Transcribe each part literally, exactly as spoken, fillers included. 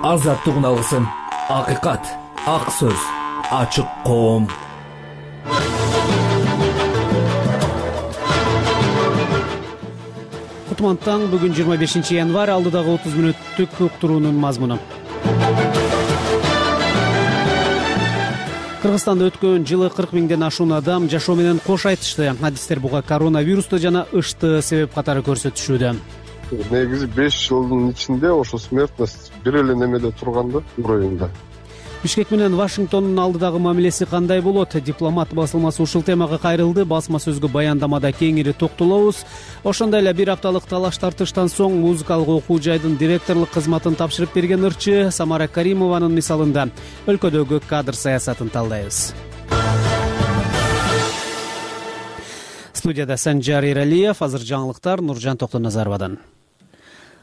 азаттыгын алгысың. Акыйкат, ак сөз, ачык коом. Кутман таң, бүгүн жыйырма бешинчи январь, алдыдагы отуз мүнөттүк уктуруунун мазмуну. Кыргызстанда өткөн жылы кырк миңден ашуун адам жашоо менен кош айтышты. Адистер буга коронавирусту жана ышты себеп катары көрсөтүшүүдө. Негизи беш жылдын ичинде ошо смертность бир эле немеде турган да, уровеньде. Бишкек менен Вашингтондун алдыдагы мамилеси кандай болот? Дипломат басылмасы ушул темага кайрылды. Басма сөзгө баяндамада кеңири токтолобуз. Ошондой эле бир апталык талаш тартыштан соң музыкалык окуу жайдын директорлук кызматын тапшырып берген ырчы Самара Каримованын мисалында өлкөдөгү кадр саясатын талдайбыз. Студияда Санжар Эралиев, азыр жаңылыктар Нуржан Токтоназаровадан.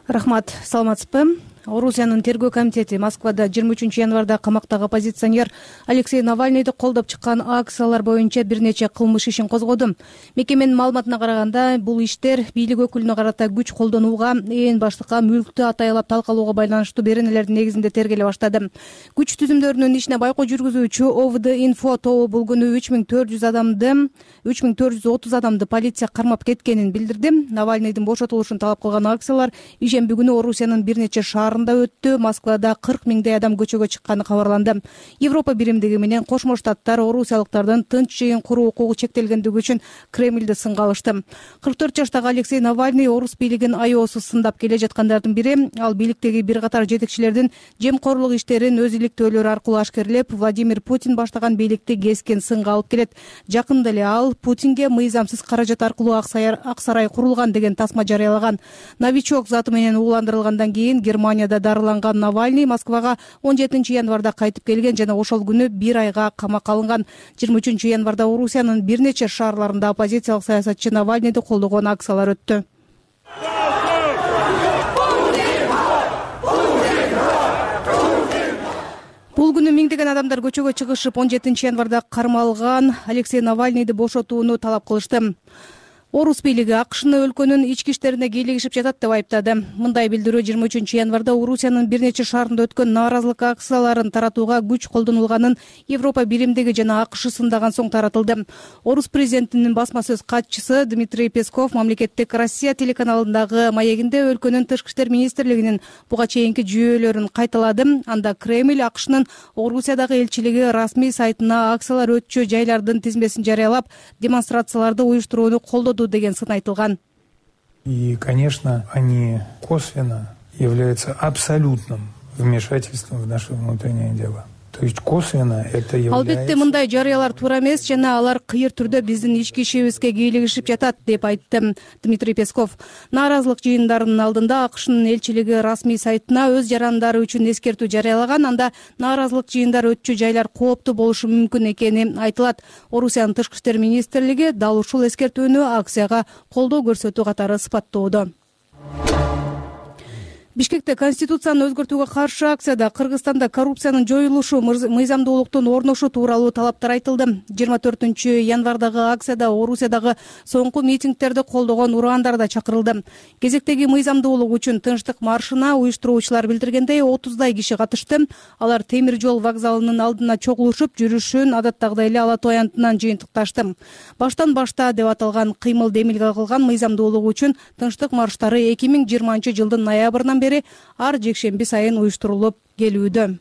Рахмат, саламатсызбы? Орусиянын тергөө комитети Москвада жыйырма үчүнчү январда камактагы оппозиционер Алексей Навальныйды колдоп чыккан акциялар боюнча бир нече кылмыш ишин козгоду. Мекеменин маалыматына караганда, бул иштер бийлик өкүлүнө карата күч колдонууга, ээн баштыкка мүлктү атайлап талкалоого байланыштуу беренелердин негизинде тергеле баштады. Күч түзүмдөрүнүн ишине байкоо жүргүзүүчү ОВД Инфо тобу бул күнү үч миң төрт жүз адамды үч миң төрт жүз отуз адамды полиция кармап кеткенин билдирди. Навальныйдын бошотулушун талап кылган акциялар ишемби күнү Орусиянын бир нече шаарында өттү. Москвада кырк миңдей адам көчөгө чыкканы кабарланды. Европа биримдиги менен Кошмо Штаттар орусиялыктардын тынч жыйын куруу укугу чектелгендиги үчүн Кремльди сынга алышты. кырк төрт жаштагы Алексей Навальный орус бийлигин аеосуз сындап келе жаткандардын бири. Ал бийликтеги бир катар жетекчилердин жемкорлук иштерин өз иликтөөлөрү аркылуу ашкерлеп, Владимир Путин баштаган бийликти кескен сынга алып келет. Жакында эле ал Путинге мыйзамсыз каражат аркылуу ак сарай курулган деген тасма жарыялаган. Новичок заты менен ууландырылгандан кийин Германияда дарыланган Навальный Москвага он жетинчи январда кайтып келген жана ошол күнү бир айга камакка алынган. жыйырма үчүнчү январда Орусиянын бир нече шаарларында оппозициялык саясатчы Навальныйды колдогон акциялар өттү. Бул күнү миңдеген адамдар көчөгө чыгышып, он жетинчи январда кармалган Алексей Навальныйды бошотууну талап кылышты. Орус бийлиги АКШны өлкөнүн ички иштерине кийлигишип жатат деп айыптады. Мындай билдирүү жыйырма үчүнчү январда Орусиянын бир нече шаарында өткөн нааразылык акцияларын таратууга күч колдонулганын Европа биримдиги жана АКШ сындаган соң таратылды. Орус президентинин басма сөз катчысы Дмитрий Песков мамлекеттик Россия телеканалындагы маегинде өлкөнүн тышкы иштер министрлигинин буга чейинки жүйөлөрүн кайталады. Анда Кремль АКШнын Орусиядагы элчилиги расмий сайтына акциялар өтчү жайлардын тизмесин жарыялап, демонстрацияларды уюштурууну колдоду деген сын айтылган. И, конечно, они косвенно являются абсолютным вмешательством в наше внутреннее дело. То есть косвенно это является... Албетте мындай жарыялар туура эмес жана алар кыйыр түрдө биздин ички ишибизге кийлигишип жатат деп айтты Дмитрий Песков. Нааразылык жыйындарынын алдында АКШнын элчилиги расмий сайтына өз жарандары үчүн эскертүү жарыялаган. Анда нааразылык жыйындары өтчү жайлар кооптуу болушу мүмкүн экени айтылат. Орусиянын тышкы иштер министрлиги дал ушул эскертүүнү акцияга колдоо көрсөтүү катары сыпаттоодо. Бишкекте конституцияны өзгөртүүгө каршы акцияда Кыргызстанда коррупциянын жоюлушу, мыйзамдуулуктун орношу тууралуу талаптар айтылды. жыйырма төртүнчү январдагы акцияда Орусиядагы соңку митингтерди колдогон ураандар да чакырылды. Кезектеги мыйзамдуулук үчүн тынчтык маршына уюштуруучулар билдиргендей отуздай киши катышты. Алар темир жол вокзалынын алдына чогулушуп, жүрүшүн адаттагыдай эле ала тоо аянтынан жыйынтыкташты. Баштан башта деп аталган кыймыл демилге кылган мыйзамдуулук үчүн тынчтык марштары эки миң жыйырманчы жылдын ноябрынан бери ар жекшемби сайын уюштурулуп келүүдө.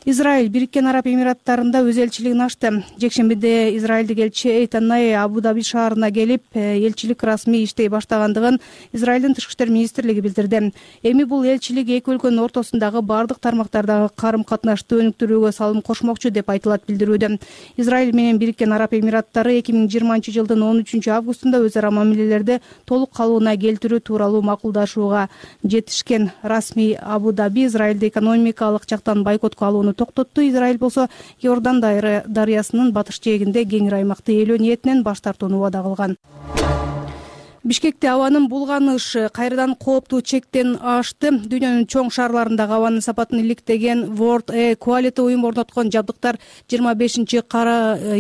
Израиль Бириккен Араб Эмираттарында өз элчилигин ачты. Жекшембиде израилдик элчи Эйтанай Абу-Даби шаарына келип, элчилик расмий иштей баштагандыгын Израилдин тышкы иштер министрлиги билдирди. Эми бул элчилик эки өлкөнүн ортосундагы бардык тармактардагы карым-катнашты өнүктүрүүгө салым кошмокчу деп айтылат билдирүүдө. Израиль менен Бириккен Араб Эмираттары эки миң жыйырманчы жылдын он үчүнчү августунда өз ара мамилелерди толук калыбына келтирүү тууралуу макулдашууга жетишкен. Расмий Абу-Даби Израилди экономикалык жактан бойкотко алууну токтотту. Израиль болсо Иордан дарыясынын батыш жээгинде кеңири аймакты ээлөө ниетинен баш тартууну убада кылган. Бишкекте абанын булганышы кайрадан кооптуу чектен ашты. Дүйнөнүн чоң шаарларындагы абанын сапатын иликтеген World Air Quality уюму орноткон жабдыктар жыйырма бешинчи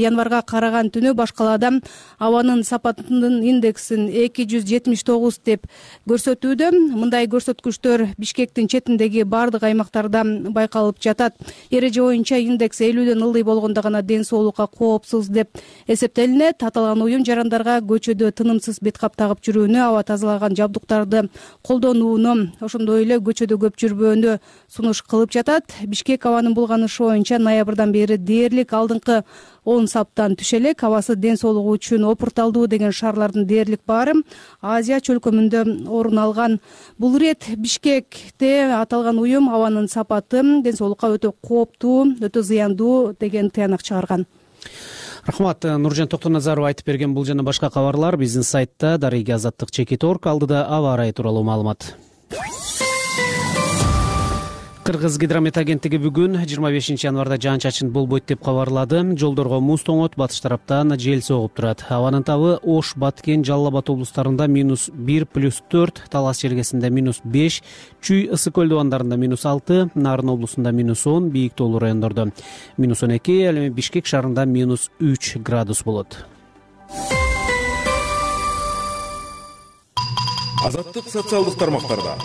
январга караган түнү башкалаада абанын сапатынын индексин эки жүз жетимиш тогуз деп көрсөтүүдө. Мындай көрсөткүчтөр Бишкектин четиндеги бардык аймактарда байкалып жатат. Эреже боюнча индекс элүүдөн ылдый болгондо гана ден соолукка коопсуз деп эсептелинет. Аталган уюм жарандарга көчөдө тынымсыз бет кап тагып жүрүүнү, аба тазалаган жабдыктарды колдонууну, ошондой эле көчөдө көп жүрбөөнү сунуш кылып жатат. Бишкек абанын булганышы боюнча ноябрдан бери дээрлик алдыңкы он саптан түшө элек. Абасы ден соолугу үчүн опурталдуу деген шаарлардын дээрлик баары Азия чөлкөмүндө орун алган. Бул ирет Бишкекте аталган уюм абанын сапаты ден соолукка өтө кооптуу, өтө зыяндуу деген тыянак чыгарган. Рахмат. Нуржан Токтоназаров айтып берген бул жана башка кабарлар биздин сайтта дарыги азаттык чекит точка орг. Алдыда аба ырайы тууралуу маалымат. Кыргыз гидромет агенттиги бүгүн жыйырма бешинчи январда жаан чачын болбойт деп кабарлады. Жолдорго муз тоңот, батыш тараптан жел согуп турат. Абанын табы Ош, Баткен, Жалал Абад облустарында минус бир плюс төрт, Талас жергесинде минус беш, Чүй, Ысык көл дубандарында минус алты, Нарын облусунда минус он, бийик тоолуу райондордо минус он эки, ал эми Бишкек шаарында минус үч градус болот. Азаттык социалдык тармактарда.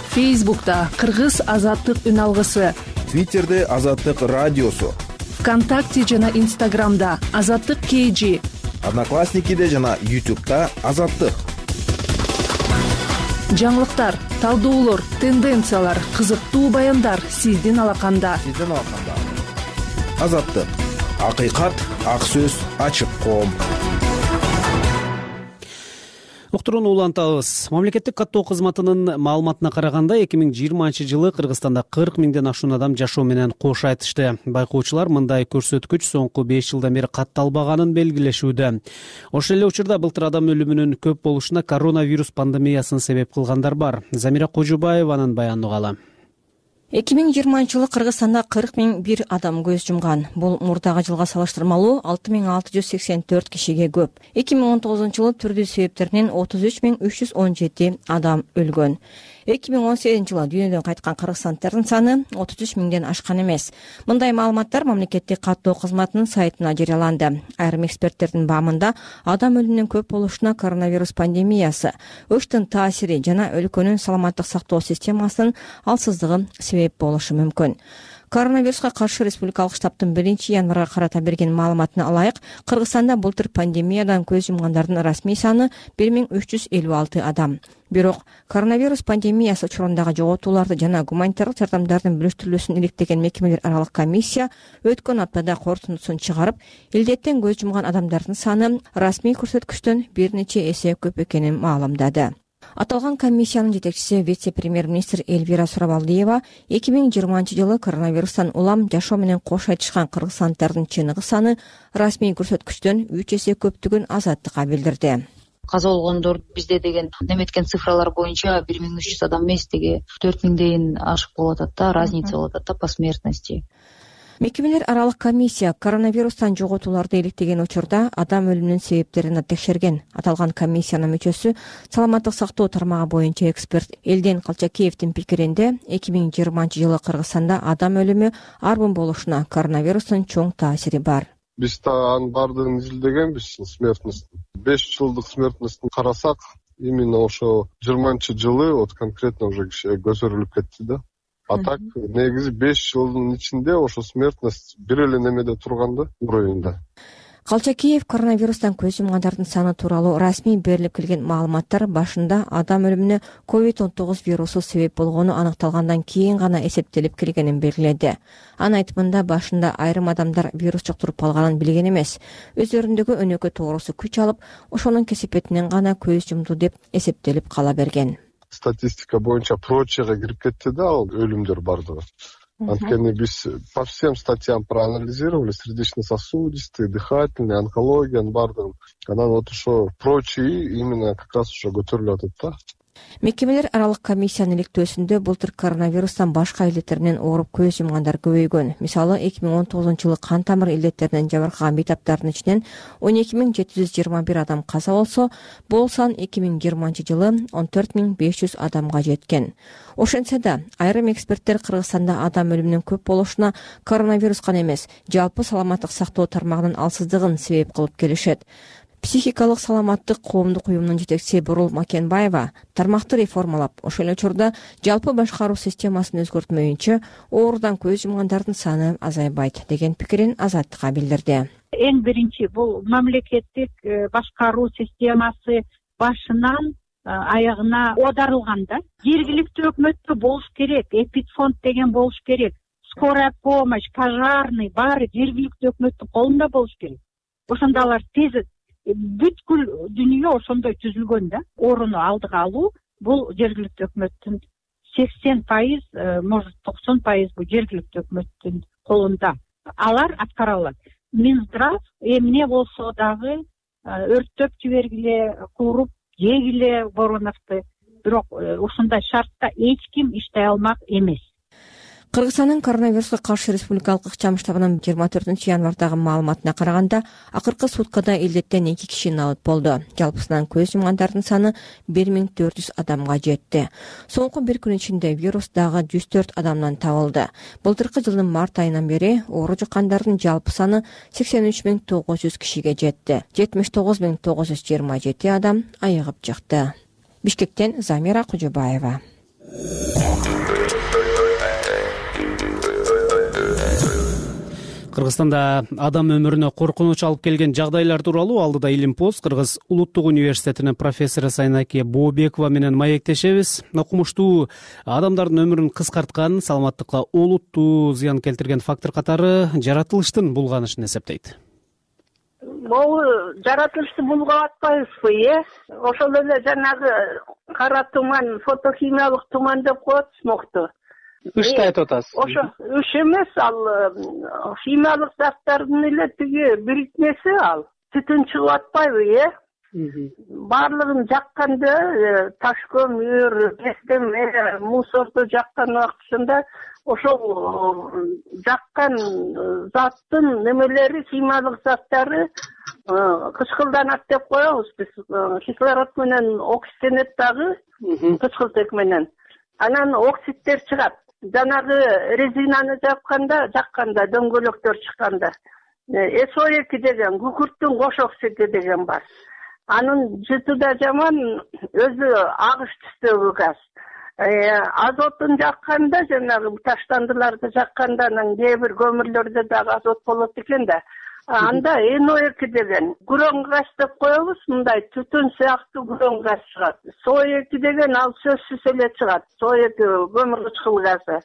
Фейсбукта Кыргыз азаттык үн алгысы, Твиттерде Азаттык радиосу, ВКонтакте жана Инстаграмда Азаттык кей жи, Одноклассникиде жана Ютубта Азаттык. Жаңылыктар, талдоолор, тенденциялар, кызыктуу баяндар сиздин алаканда. Сиздин алаканда. Азаттык. Акыйкат, ак сөз, ачык коом. Уктурууну улантабыз. Мамлекеттик каттоо кызматынын маалыматына караганда эки миң жыйырманчы жылы Кыргызстанда кырк миңден ашуун адам жашоо менен кош айтышты. Байкоочулар мындай көрсөткүч соңку беш жылдан бери катталбаганын белгилешүүдө. Ошол эле учурда былтыр адам өлүмүнүн көп болушуна коронавирус пандемиясын себеп кылгандар бар. Замира Кожубаеванын баянын угалы. эки миң жыйырманчы жылы Кыргызстанда кырк миң бир адам көз жумган. Бул мурдагы жылга салыштырмалуу алты миң алты жүз сексен төрт кишиге көп. эки миң он тогузунчу жылы түрдүү себептеринен отуз үч миң үч жүз он жети адам өлгөн. эки миң он сегизинчи жылы дүйнөдөн кайткан кыргызстандардын саны отуз үч миңден ашкан эмес. Мындай маалыматтар мамлекеттик каттоо кызматынын сайтына жарыяланды. Айрым эксперттердин баамында адам өлүмүнүн көп болушуна коронавирус пандемиясы, өчтүн таасири жана өлкөнүн саламаттык сактоо системасынын алсыздыгы себеп болушу мүмкүн. Коронавируска каршы республикалык штабтын биринчи январга карата берген маалыматына ылайык, Кыргызстанда былтыр пандемиядан көз жумгандардын расмий саны бир миң үч жүз элүү алты адам. Бирок коронавирус пандемиясы учурундагы жоготууларды жана гуманитардык жардамдардын бөлүштүрүлүүсүн иликтеген мекемелер аралык комиссия өткөн аптада корутундусун чыгарып, илдеттен көз жумган адамдардын саны расмий көрсөткүчтөн бир нече эсе көп экенин маалымдады. Аталган комиссиянын жетекчиси вице-премьер-министр Эльвира Сурабалдиева эки миң жыйырманчы жылы коронавирустан улам жашоо менен кош айтышкан кыргызстандардын чыныгы саны расмий көрсөткүчтөн үч эсе көптүгүн Азаттыкка билдирди. Каза болгондор бизде деген неметкен цифралар боюнча бир миң үч жүз адам эмес, деги төрт миңден ашык болуп атат да, разница болуп атат да по смертности. Мекемелер аралык комиссия коронавирустан жоготууларды иликтеген учурда адам өлүмүнүн себептерин текшерген. Аталган комиссиянын мүчөсү саламаттык сактоо тармагы боюнча эксперт Элден Калчакеевдин пикиринде эки миң жыйырманчы жылы Кыргызстанда адам өлүмү арбын болушуна коронавирустун чоң таасири бар. Биз да анын баардыгын изилдегенбиз, смертностун. беш жылдык смертностун карасак, именно ошо жыйырманчы жылы вот конкретно уже көтөрүлүп кетти да. А так, негизи беш жылдын ичинде ошо смертность бир эле немеде турган да, уровеньде. Калчакеев коронавирустан көз жумгандардын саны тууралуу расмий берилип келген маалыматтар башында адам өлүмүнө ковид он тогуз вирусу себеп болгону аныкталгандан кийин гана эсептелип келгенин белгиледи. Анын айтымында башында айрым адамдар вирус жуктуруп алганын билген эмес, өздөрүндөгү өнөкөт тоорусу күч алып, ошонун кесепетинен гана көз жумду деп эсептелип кала берген. Статистика боюнча прочага кирип кетти да, ал өлүмдөр бардыгы. Анткени биз по всем статьям проанализировали, сердечно-сосудистый, дыхательный, онкологиянын бардыгын. Анан вот ошо прочий именно как раз ошо көтөрүлүп атат да. Мекемелер аралык комиссиянын иликтөөсүндө былтыр коронавирустан башка илдеттер менен ооруп көз жумгандар көбөйгөн. Мисалы эки миң он тогузунчу жылы кан тамыр илдеттеринен жабыркаган бейтаптардын ичинен он эки миң жети жүз жыйырма бир адам каза болсо, бул сан эки миң жыйырманчы жылы он төрт миң беш жүз адамга жеткен. Ошентсе да айрым эксперттер Кыргызстанда адам өлүмүнүн көп болушуна коронавирус гана эмес, жалпы саламаттык сактоо тармагынын алсыздыгын себеп кылып келишет. Психикалык саламаттык коомдук уюмунун жетекчиси Бурул Макенбаева тармакты реформалап, ошол эле учурда жалпы башкаруу системасын өзгөртмөйүнчө оорудан көз жумгандардын саны азайбайт деген пикирин Азаттыкка билдирди. Эң биринчи бул мамлекеттик башкаруу системасы башынан аягына оодарылган да. Жергиликтүү өкмөттө болуш керек, эпидфонд деген болуш керек, скорая помощь, пожарный баары жергиликтүү өкмөттүн колунда болуш керек. Ошондо алар тез бүткүл дүйнө ошондой түзүлгөн да. Орууну алдыга алуу бул жергиликтүү өкмөттүн сексен пайыз, может токсон пайыз бул жергиликтүү өкмөттүн колунда. Алар аткара алат. Минздрав эмне болсо дагы өрттөп жибергиле, кууруп жегиле Вороновду, бирок ушундай шартта эч ким иштей алмак эмес. Кыргызстандын коронавируска каршы республикалык ыкчам штабынын жыйырма төртүнчү январдагы маалыматына караганда, акыркы суткада илдеттен эки киши набыт болду. Жалпысынан көз жумгандардын саны бир миң төрт жүз адамга жетти. Соңку бир күн ичинде вирус дагы жүз төрт адамдан табылды. Былтыркы жылдын март айынан бери оору жуккандардын жалпы саны сексен үч миң тогуз жүз кишиге жетти. жетимиш тогуз миң тогуз жүз жыйырма жети адам айыгып чыкты. Бишкектен Замира Кужубаева. Кыргызстанда адам өмүрүнө коркунуч алып келген жагдайлар тууралуу алдыда Илим пост Кыргыз улуттук университетинин профессору Сайнаке Бообекова менен маектешебиз. Окумуштуу адамдардын өмүрүн кыскарткан, саламаттыкка олуттуу зыян келтирген фактор катары жаратылыштын булганышын эсептейт. Бул жаратылышты булгап атпайбызбы, э? Ошол эле жанагы кара туман, фотохимиялык туман деп коет смогту. Ышты айтып атасыз. Ошо үш эмес, ал химиялык заттардын эле тиги бирикмеси ал. Түтүн чыгып атпайбы, э? Баардыгын жакканда таш көмүр, кестеме, мусорду жаккан убактысында ошол жаккан заттын немелери, химиялык заттары кычкылданат деп коебуз биз. Кислород менен оксиденет дагы, кычкылтек менен. Анан оксидтер чыгат. Жанагы резинаны жакканда, жакканда дөңгөлөктөр чыкканда. эс о эки деген күкүрттүн кош оксиди деген бар. Анын жыты да жаман, өзү агыш түстөгү газ. Азотун жакканда, жанагы таштандыларды жакканда, анан кээ бир көмүрлөрдө дагы азот болот экен да. Анда эн о эки деген күрөң газ деп коебуз, мындай түтүн сыяктуу күрөң газ чыгат. эс о эки деген ал сөзсүз эле чыгат. эс о эки көмүр кычкыл газы.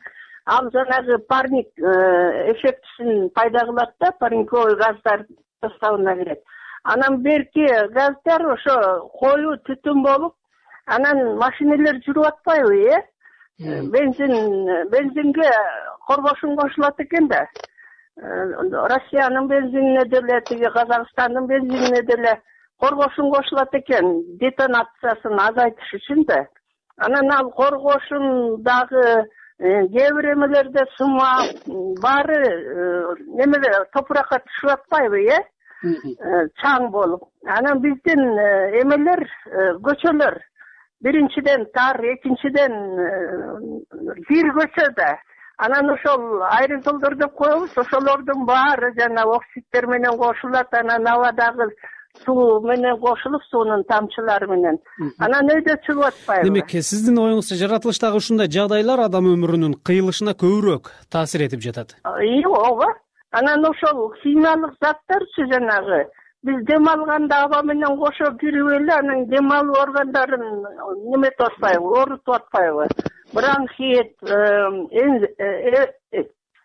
Ал жанагы парник эффектисин пайда кылат да, парниковый газдар составына кирет. Анан берки газдар ошо коюу түтүн болуп, анан машинелер жүрүп атпайбы, э? Бензин, бензинге коргошун кошулат экен да. Россиянын бензинине деле, тиги Казакстандын бензинине деле коргошун кошулат экен, детонациясын азайтыш үчүн да. Анан ал коргошун дагы кээ бир эмелерде сыма баары немеле топуракка түшүп атпайбы, э? Чаң болуп. Анан биздин эмелер, көчөлөр биринчиден тар, экинчиден бир көчөдө. Анан ошол айрыжолдор деп коебуз, ошолордун баары жана оксидтер менен кошулат, анан абадагы суу менен кошулуп, суунун тамчылары менен. Анан өйдө чыгып атпайбы? Демек, сиздин оюңузча жаратылыштагы ушундай жагдайлар адам өмүрүнүн кыйылышына көбүрөөк таасир этип жатат. Ооба. Анан ошол химиялык заттарчы жанагы биз дем алганда аба менен кошо кирип эле, анан дем алуу органдарын неметип атпайбы, оорутуп атпайбы? Бронхит,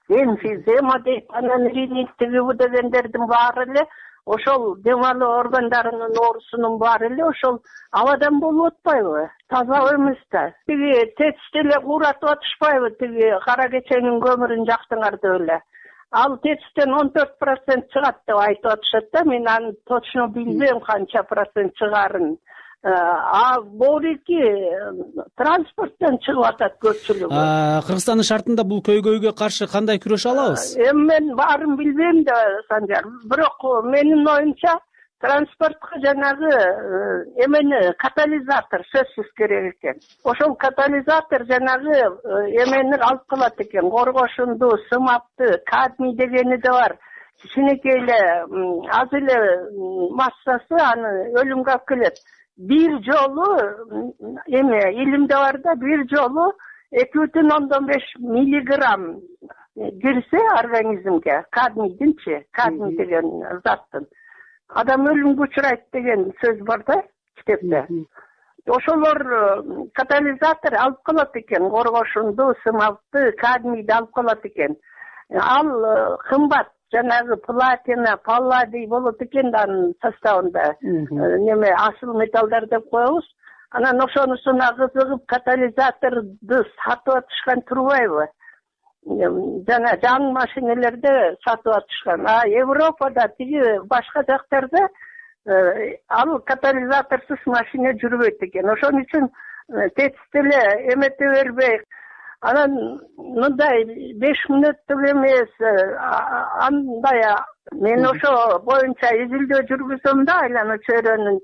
эмфизема дейт, анан ринит тиги дегендердин баары эле ошол дем алуу органдарынын оорусунун баары эле ошол абадан болуп атпайбы? Таза эмес да. Тиги тетишти эле кууратып атышпайбы, тиги кара кеченин көмүрүн жактыңар деп эле. Ал тетиштен он төрт процент чыгат деп айтып атышат да, мен аны точно билбейм канча процент чыгарын. а могуки транспорттон чыгып атат көпчүлүгү. Кыргызстандын шартында бул көйгөйгө каршы кандай күрөшө алабыз? Эми мен баарын билбейм да, Санжар, бирок менин оюмча транспортко жанагы эмени катализатор сөзсүз керек экен. Ошол катализатор жанагы эмени алып калат экен, коргошунду, сымапты, кадмий дегени да бар. Кичинекей эле аз эле массасы аны өлүмгө алып келет. Бир жолу эме илимде бар да, бир жолу эки бүтүн ондон беш миллиграмм кирсе организмге, кадмийдинчи, кадмий деген заттын, адам өлүмгө учурайт деген сөз бар да китепте. Ошолор катализатор алып калат экен, коргошунду, сымапты, кадмийди алып калат экен. Ал кымбат, жанагы платина, палладий болот экен да анын составында. Неме асыл металлдар деп коебуз. Анан ошонусуна кызыгып катализаторду сатып атышкан турбайбы? Жана жаңы машинелерде сатып атышкан. А Европада тиги башка жактарда ал катализаторсуз машина жүрбөйт экен. Ошон үчүн тетип эле эмете бербей, анан мындай беш мүнөттүк эмес, андай мен ошо боюнча изилдөө жүргүзөм да, айлана чөйрөнүн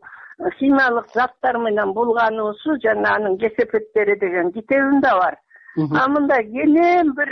химиялык заттар менен булгануусу жана анын кесепеттери деген китебим да бар. А мындай кенен бир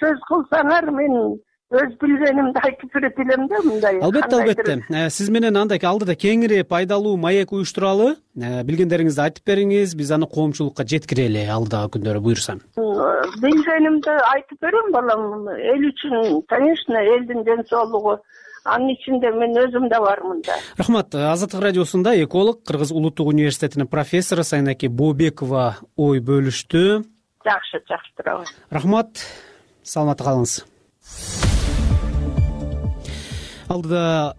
сөз кылсаңар, мен өз билгенимди айтып берет элем да, мындай. Албетте, албетте. Сиз менен андай алдыда кеңири пайдалуу маек уюштуралы, билгендериңизди айтып бериңиз, биз аны коомчулукка жеткирели алдыдагы күндөрү буюрса. Билгенимди айтып берем, балам. Эл үчүн, конечно, элдин ден соолугу, анын ичинде мен өзүм да бармын да. Рахмат. Азаттык радиосунда эколог, Кыргыз Улуттук университетинин профессору Сайнаки Бообекова ой бөлүштү. Жакшы, жакшы турабы. Рахмат. Саламатта калыңыз. Алдыда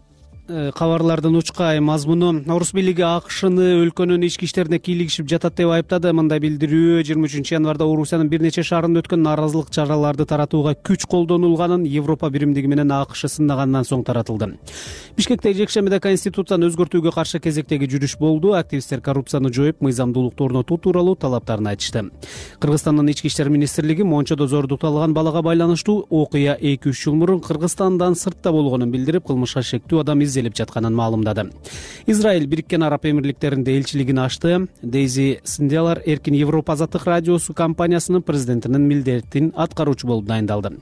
кабарлардын учкай мазмуну: Орус бийлиги АКШны өлкөнүн ички иштерине кийлигишип жатат деп айыптады. Мындай билдирүү жыйырма үчүнчү январда Орусиянын бир нече шаарында өткөн нааразылык чараларды таратууга күч колдонулганын Европа биримдиги менен АКШ сыннагандан соң таратылды. Бишкекте жекшембиде Конституцияны өзгөртүүгө каршы кезектеги жүрүш болду. Активисттер коррупцияны жоюп, мыйзамдуулукту орнотуу тууралуу талаптарын айтышты. Кыргызстандын ички иштер министрлиги Мончодо зордукталган балага байланыштуу окуя эки үч жыл мурун Кыргызстандан сыртта болгонун билдирип, кылмышка шектүү адам изделип жатканын маалымдады. Израиль Бириккен Араб Эмирликтеринде элчилигин ачты. Дейзи Синдиалар Эркин Европа азаттык радиосу компаниясынын президентинин милдетин аткаруучу болуп дайындалды.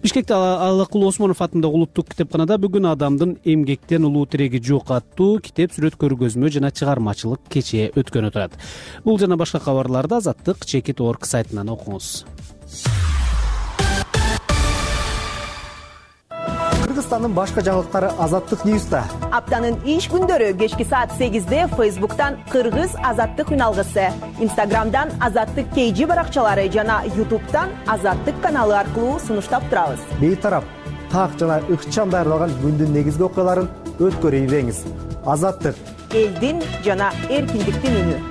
Бишкекте Алыкул Осмонов атындагы улуттук китепканада бүгүн адамдын эмгектен улуу тиреги жок аттуу китеп, сүрөт көргөзмө жана чыгармачылык кечи өткөнү турат. Бул жана башка кабарларды Азаттык чекит точка орг сайтынан окуңуз. Кыргызстандын башка жаңылыктары Азаттык Ньюста. Аптанын иш күндөрү кечки саат сегизде Фейсбуктан Кыргыз Азаттык үналгысы, Инстаграмдан Азаттык кей жи баракчалары жана Ютубтан Азаттык каналы аркылуу сунуштап турабыз. Бейтарап, так жана ыкчам даярдалган күндүн негизги окуяларын өткөрүп ийбеңиз. Азаттык — элдин жана эркиндиктин үнү.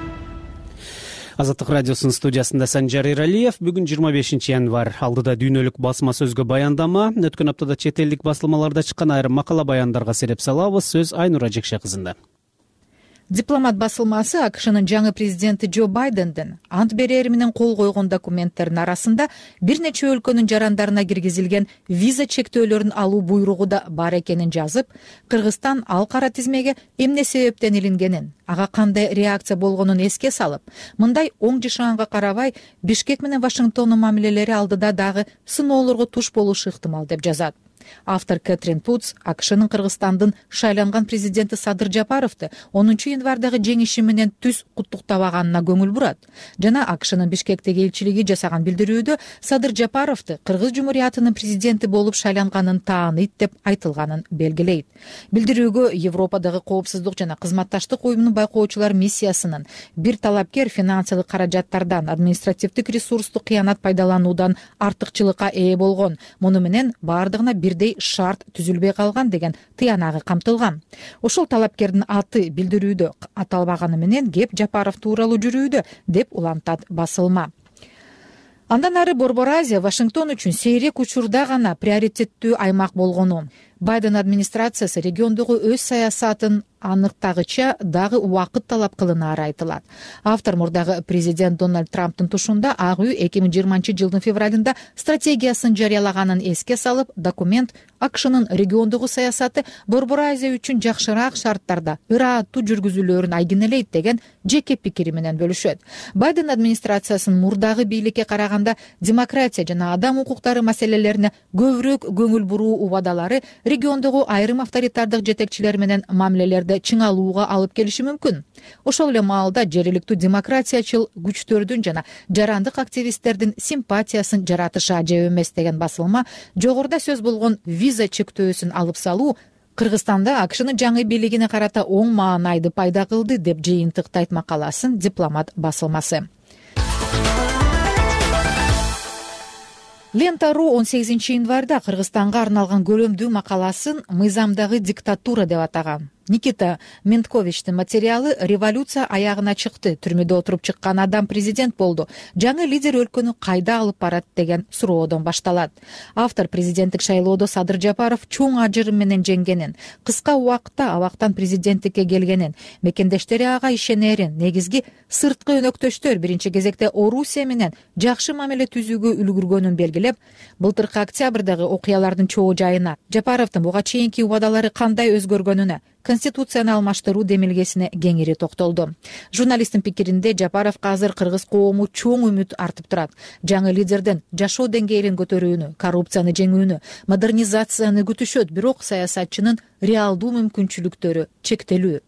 Азаттык радиосунун студиясында Санжар Эралиев. Бүгүн жыйырма бешинчи январь. Алдыда дүйнөлүк басма сөзгө баяндама. Өткөн аптада чет элдик басылмаларда чыккан айрым макала баяндарга сереп салабыз. Сөз Айнура Жекше кызында. Дипломат басылмасы АКШнын жаңы президенти Джо Байдендин ант берери менен кол койгон документтердин арасында бир нече өлкөнүн жарандарына киргизилген виза чектөөлөрүн алуу буйругу да бар экенин жазып, Кыргызстан ал кара тизмеге эмне себептен илингенин, ага кандай реакция болгонун эске салып, мындай оң жашаганга карабай Бишкек менен Вашингтондун мамилелери алдыда дагы сыноолорго туш болушу ыктымал деп жазат. Автор Кэтрин Путс АКШнын Кыргызстандын шайланган президенти Садыр Жапаровду онунчу январдагы жеңиши менен түз куттуктабаганына көңүл бурат. Жана АКШнын Бишкектеги элчилиги жасаган билдирүүдө Садыр Жапаровду Кыргыз Жумуриятынын президенти болуп шайланганын тааныйт деп айтылганын белгилейт. Билдирүүгө Европадагы коопсуздук жана кызматташтык уюмунун байкоочулар миссиясынын бир талапкер финансылык каражаттардан, административдик ресурсту кыянат пайдалануудан артыкчылыкка ээ болгон. Муну менен бардыгына бир бирдей шарт түзүлбөй калган деген тыянагы камтылган. Ошол талапкердин аты билдирүүдө аталбаганы менен кеп Жапаров тууралуу жүрүүдө деп улантат басылма. Андан ары Борбор Азия Вашингтон үчүн сейрек учурда гана приоритеттүү аймак болгону. Байден администрациясы региондогу өз саясатын аныктагыча дагы убакыт талап кылынаары айтылат. Автор мурдагы президент Дональд Трамптын тушунда Ак үй эки миң жыйырманчы жылдын февралында стратегиясын жарыялаганын эске салып, документ АКШнын региондогу саясаты Борбор Азия үчүн жакшыраак шарттарда ырааттуу жүргүзүлөөрүн айгинелейт деген жеке пикири менен бөлүшөт. Байден администрациясынын мурдагы бийликке караганда демократия жана адам укуктары маселелерине көбүрөөк көңүл буруу убадалары региондогу айрым авторитардык жетекчилер менен мамилелерди чыңалууга алып келиши мүмкүн. Ошол эле маалда жергиликтүү демократиячыл күчтөрдүн жана жарандык активисттердин симпатиясын жаратышы ажайып эмес деген басылма жогоруда сөз болгон виза чектөөсүн алып салуу Кыргызстанда АКШнын жаңы бийлигине карата оң маанайды пайда кылды деп жыйынтыктайт макаласын Дипломат басылмасы. Лента.ру он сегизинчи январда Кыргызстанга арналган көрөмдүү макаласын мыйзамдагы диктатура деп атаган. Никита Ментковичтин материалы революция аягына чыкты, түрмөдө отуруп чыккан адам президент болду, жаңы лидер өлкөнү кайда алып барат деген суроодон башталат. Автор президенттик шайлоодо Садыр Жапаров чоң ажырым менен жеңгенин, кыска убакытта абактан президенттикке келгенин, мекендештери ага ишенерин, негизги сырткы өнөктөштөр биринчи кезекте Орусия менен жакшы мамиле түзүүгө үлгүргөнүн белгилеп, былтыркы октябрдагы окуялардын чоо жайына, Жапаровдун буга чейинки убадалары кандай өзгөргөнүнө, Конституцияны алмаштыруу демилгесине кеңири токтолду. Журналисттин пикиринде Жапаровго азыр кыргыз коому чоң үмүт артып турат. Жаңы лидерден жашоо деңгээлин көтөрүүнү, коррупцияны жеңүүнү, модернизацияны күтүшөт, бирок саясатчынын реалдуу мүмкүнчүлүктөрү чектелүү.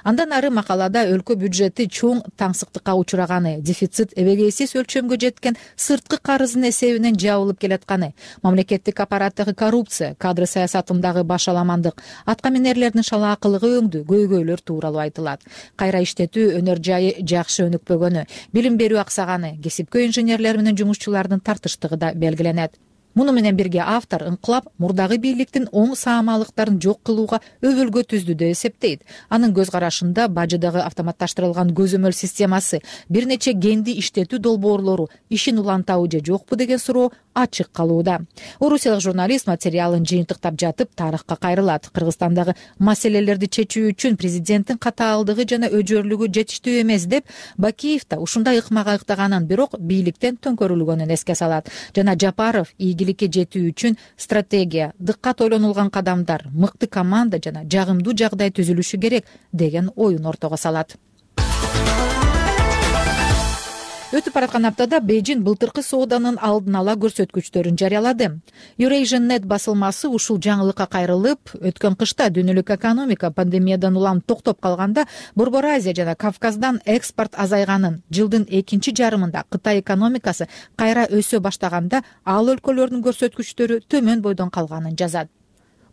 Андан ары макалада өлкө бюджети чоң таңсыктыкка учураганы, дефицит эбегейсиз өлчөмгө жеткен сырткы карыздын эсебинен жабылып келатканы, мамлекеттик аппараттагы коррупция, кадр саясатындагы башаламандык, аткаминерлердин шалаакылыгы өңдү, көйгөйлөр тууралуу айтылат. Кайра иштетүү өнөр жайы жакшы өнүкпөгөнү, билим берүү аксаганы, кесипкөй инженерлер менен жумушчулардын тартыштыгы да белгиленет. Муну менен бирге автор ыңкылап мурдагы бийликтин оң саамалыктарын жок кылууга өбөлгө түздү деп эсептейт. Анын көз карашында бажыдагы автоматташтырылган көзөмөл системасы, бир нече генди иштетүү долбоорлору ишин улантабы же жокпу деген суроо ачык калууда. Орусиялык журналист материалын жыйынтыктап жатып тарыхка кайрылат. Кыргызстандагы маселелерди чечүү үчүн президенттин катаалдыгы жана өжөрлүгү жетиштүү эмес деп Бакиев да ушундай ыкмага ыктаганын, бирок бийликтен төңкөрүлгөнүн эске салат. Жана Жапаров ийгиликке жетүү үчүн стратегия, дыккат ойлонулган кадамдар, мыкты команда жана жагымдуу жагдай түзүлүшү керек деген оюн ортого салат. Өтүп бараткан аптада Бейжин былтыркы сооданын алдын ала көрсөткүчтөрүн жарыялады. Eurasian.net басылмасы ушул жаңылыкка кайрылып, өткөн кышта дүйнөлүк экономика пандемиядан улам токтоп калганда, Борбор Азия жана Кавказдан экспорт азайганын, жылдын экинчи жарымында Кытай экономикасы кайра өсө баштаганда, ал өлкөлөрдүн көрсөткүчтөрү төмөн бойдон калганын жазат.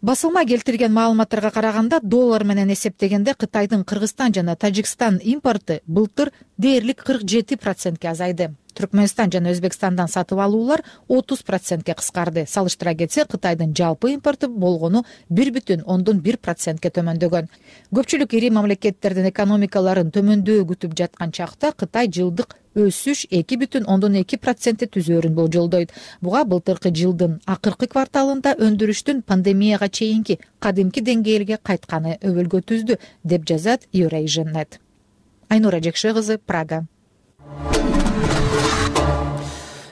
Басылма келтирген маалыматтарга караганда, доллар менен эсептегенде Кытайдын Кыргызстан жана Тажикстан импорты былтыр дээрлик кырк жети процентке азайды. Түркмөнстан жана Өзбекстандан сатып алуулар отуз процентке кыскарды. Салыштыра кетсе, Кытайдын жалпы импорты болгону бир бүтүн ондон бир процентке төмөндөгөн. Көпчүлүк ири мамлекеттердин экономикаларын төмөндөө күтүп жаткан чакта, Кытай жылдык өсүш эки бүтүн ондон эки процентте түзөөрүн болжолдойт. Буга былтыркы жылдын акыркы кварталында өндүрүштүн пандемияга чейинки кадимки деңгээлге кайтканы өбөлгө түздү, деп жазат Eurasian.net. Айнура Жекше кызы, Прага.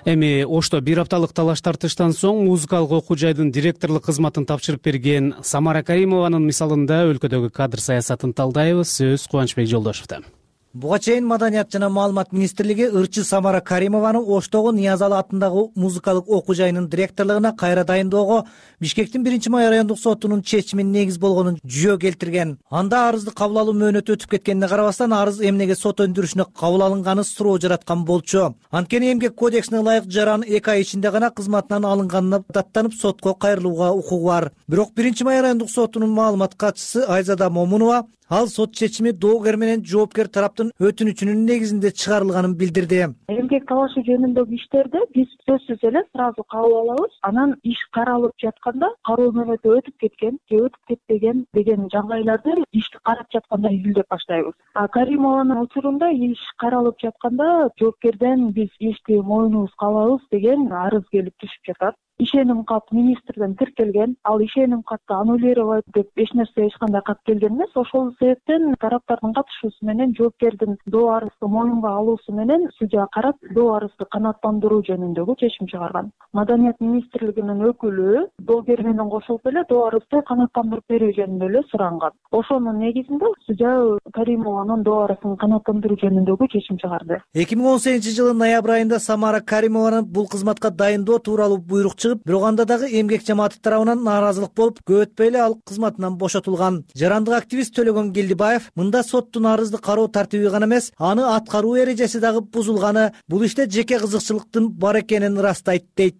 Эми Ошто бир апталык талаш тартыштан соң музыкалык окуу жайдын директорлук кызматын тапшырып берген Самара Каримованын мисалында өлкөдөгү кадр саясатын талдайбыз. Сөз Кубанычбек Жолдошовдо. Буга чейин Маданият жана маалымат министрлиги ырчы Самара Каримованы Оштогу Ниязалы атындагы музыкалык окуу жайынын директорлугуна кайра дайындоого Бишкектин биринчи май райондук сотунун чечимин негиз болгонун жүйө келтирген. Анда арызды кабыл алуу мөөнөтү өтүп кеткенине карабастан, арыз эмнеге сот өндүрүшүнө кабыл алынганы суроо жараткан болчу. Анткени Эмгек кодексине ылайык жаран эки ай ичинде гана кызматынан алынганына даттанып сотко кайрылууга укугу бар. Бирок биринчи май райондук сотунун маалымат катчысы Айзада Момунова ал сот чечими доогер менен жоопкер тараптын өтүнүчүнүн негизинде чыгарылганын билдирди. Эмгек талашы жөнүндөгү иштерди биз сөзсүз эле сразу кабыл алабыз. Анан иш каралып жатканда кароо мөөнөтү өтүп кеткен же өтүп кетпеген деген жагдайларды ишти карап жатканда изилдеп баштайбыз. А Каримованын учурунда иш каралып жатканда жоопкерден биз ишти мойнубузга алабыз деген арыз келип түшүп жатат. ишеним кат министрден тиркелген. Ал ишеним катты аннулировать деп эч нерсе эч кандай кат келген эмес. Ошол себептен тараптардын катышуусу менен жоопкердин доо арызды моюнга алуусу менен судья карап доо арызды канааттандыруу жөнүндөгү чечим чыгарган. Маданият министрлигинин өкүлү доогер менен кошулуп эле доо арызды канааттандырып берүү жөнүндө эле суранган. Ошонун негизинде судья Каримованын доо арызын канааттандыруу жөнүндөгү чечим чыгарды. эки миң он сегизинчи жылы ноябрь айында Самара Каримованын бул кызматка дайындоо тууралуу буйрук чыгып, бирок анда дагы эмгек жамааты тарабынан нааразылык болуп, көп өтпөй эле ал кызматынан бошотулган. Жарандык активист Төлөгөн Келдибаев мында соттун арызды кароо тартиби гана эмес, аны аткаруу эрежеси дагы бузулганы, бул иште жеке кызыкчылыктын бар экенин ырастайт дейт.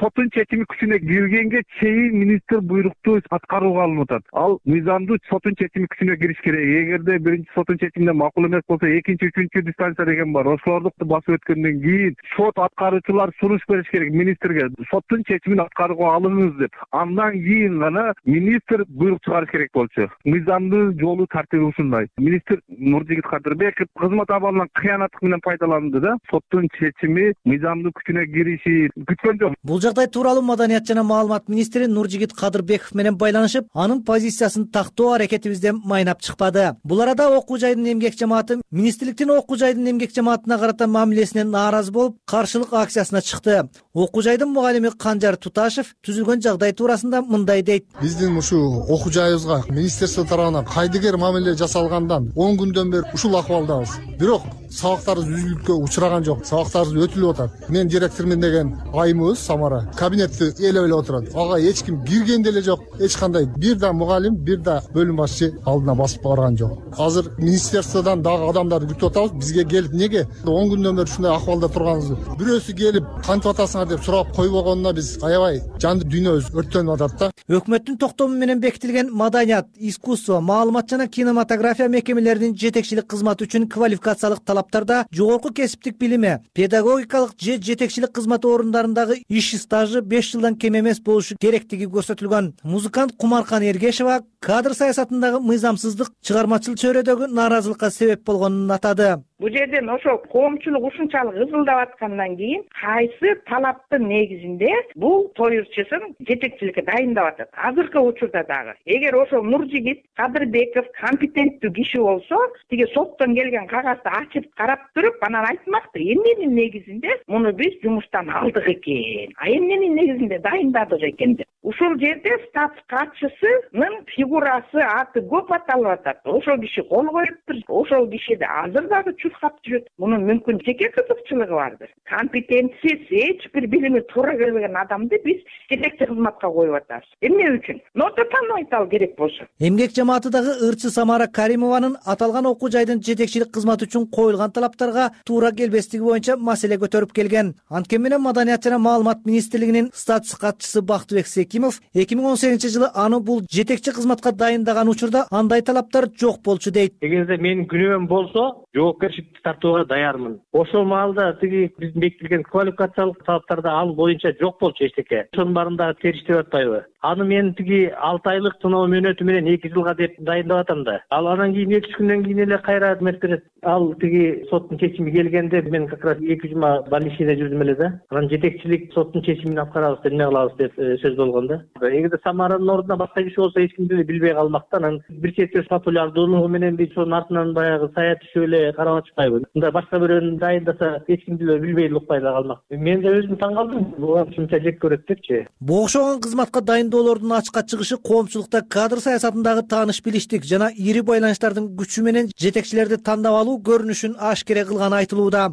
Соттун чечими күчүнө киргенге чейин министр буйрукту аткарууга алынып атат. Ал мыйзамдуу соттун чечими күчүнө кириш керек. Эгерде биринчи соттун чечимине макул эмес болсо, экинчи, үчүнчү дистанция деген бар. Ошолорду басып өткөндөн кийин сот аткаруучулар сунуш бериш керек министрге. Соттун чечимин аткарууга алыңыз деп. Андан кийин гана министр буйрук чыгарыш керек болчу. Мыйзамдуу жолу тартиби ушундай. Министр Нуржигит Кадырбеков кызмат абалынан кыянаттык менен пайдаланды да, соттун чечими мыйзамдуу күчүнө кириши күткөн жок. Бул жагдай тууралуу Маданият жана маалымат министри Нуржигит Кадырбеков менен байланышып, анын позициясын тактоо аракетибизден майнап чыкпады. Бул арада окуу жайдын эмгек жамааты министрликтин окуу жайдын эмгек жамаатына карата мамилесинен нааразы болуп, каршылык акциясына чыкты. Окуу жайдын мугалими Канжар Туташев түзүлгөн жагдай туурасында мындай дейт. Биздин ушул окуу жайыбызга министрлик тарабынан кайдыгер мамиле жасалгандан он күндөн бери ушул акыбалдабыз. Бирок сабактарыбыз үзүлүккө учураган жок. Сабактарыбыз өтүлүп атат. Мен директормун деген айымыбыз Самара кабинетти ээлеп эле отурат. Ага эч ким кирген деле жок. Эч кандай бир да мугалим, бир да бөлүм башчы алдына басып барган жок. Азыр министрликтен дагы адамдарды күтүп атабыз. Бизге келип неге он күндөн бери ушундай акыбалда турганыбызды бирөөсү келип кантип атасыңар деп сурап койбогонуна биз аябай жанды дүйнөбүз өрттөнүп атат да. Өкмөттүн токтому менен бекитилген Маданият, искусство, маалымат жана кинематография мекемелеринин жетекчилик кызматы үчүн квалификациялык талаптарда жогорку кесиптик билими, педагогикалык же жетекчилик кызматы орундарындагы иш стажы беш жылдан кем эмес болушу керектиги көрсөтүлгөн. Музыкант Кумаркан Эргешева кадр саясатындагы мыйзамсыздык чыгармачыл чөйрөдөгү нааразылыкка себеп болгонун атады. Бул жерден ошол коомчулук ушунчалык ызылдап аткандан кийин кайсы талаптын негизинде бул тоюрчусун жетекчиликке дайындап атат. Азыркы учурда дагы эгер ошол Нуржигит Кадырбеков компетенттүү киши болсо, тиги соттон келген кагазды ачып карап туруп, анан айтмакты, эмненин негизинде муну биз жумуштан алдык экен, а эмненин негизинде дайындадык экен деп. Ушул жерде статс катчысынын фигурасы, аты көп аталып атат. Ошол киши кол коюптур, ошол кишиде азыр дагы чуркап жүрөт. Мунун мүмкүн жеке кызыкчылыгы бардыр. Компетенциясы, эч бир билими туура келбеген адамды биз жетекчи кызматка коюп атабыз. Эмне үчүн? Нота таныбайт ал керек болсо. Эмгек жамаатыдагы ырчы Самара Каримованын аталган окуу жайдын жетекчилик кызматы үчүн коюлган талаптарга туура келбестиги боюнча маселе көтөрүп келген. Анткени менен Маданият жана маалымат министрлигинин статус катчысы Бактыбек Секимов эки миң он сегизинчи жылы аны бул жетекчи кызматка дайындаган учурда андай талаптар жок болчу дейт. Эгерде менин күнөөм болсо, жоопкерчиликти тартууга даярмын. Ошол маалда тиги биздин бекитилген квалификациялык талаптарда ал боюнча жок болчу эчтеке. Ошонун баарын дагы териштирип атпайбы? Аны мен тиги алты айлык сыноо мөөнөтү менен эки жылга деп дайындап атам да. Ал анан кийин эки үч күндөн кийин эле кайра өкмөт берет. Ал тиги соттун чечими келгенде мен как раз эки жума больничныйда жүрдүм эле да. Анан жетекчилик соттун чечимин аткарабыз деп эмне кылабыз деп сөз болгон да. Эгерде Самаранын ордуна башка киши болсо эч ким деле билбей калмак да. Анан бир чети популярдуулугу менен биз ошонун артынан баягы сая түшүп эле карап атышпайбы. Мындай башка бирөөнү дайындаса эч ким деле билбей эле укпай эле калмак. Мен да өзүм таң калдым. Буга ушунча жек көрөт депчи. Бу окшогон кызматка дайындоолордун ачыкка чыгышы коомчулукта кадр саясатындагы тааныш билиштик жана ири байланыштардын күчү менен жетекчилерди тандап алуу көрүнүшүн ашкере кылганы айтылууда.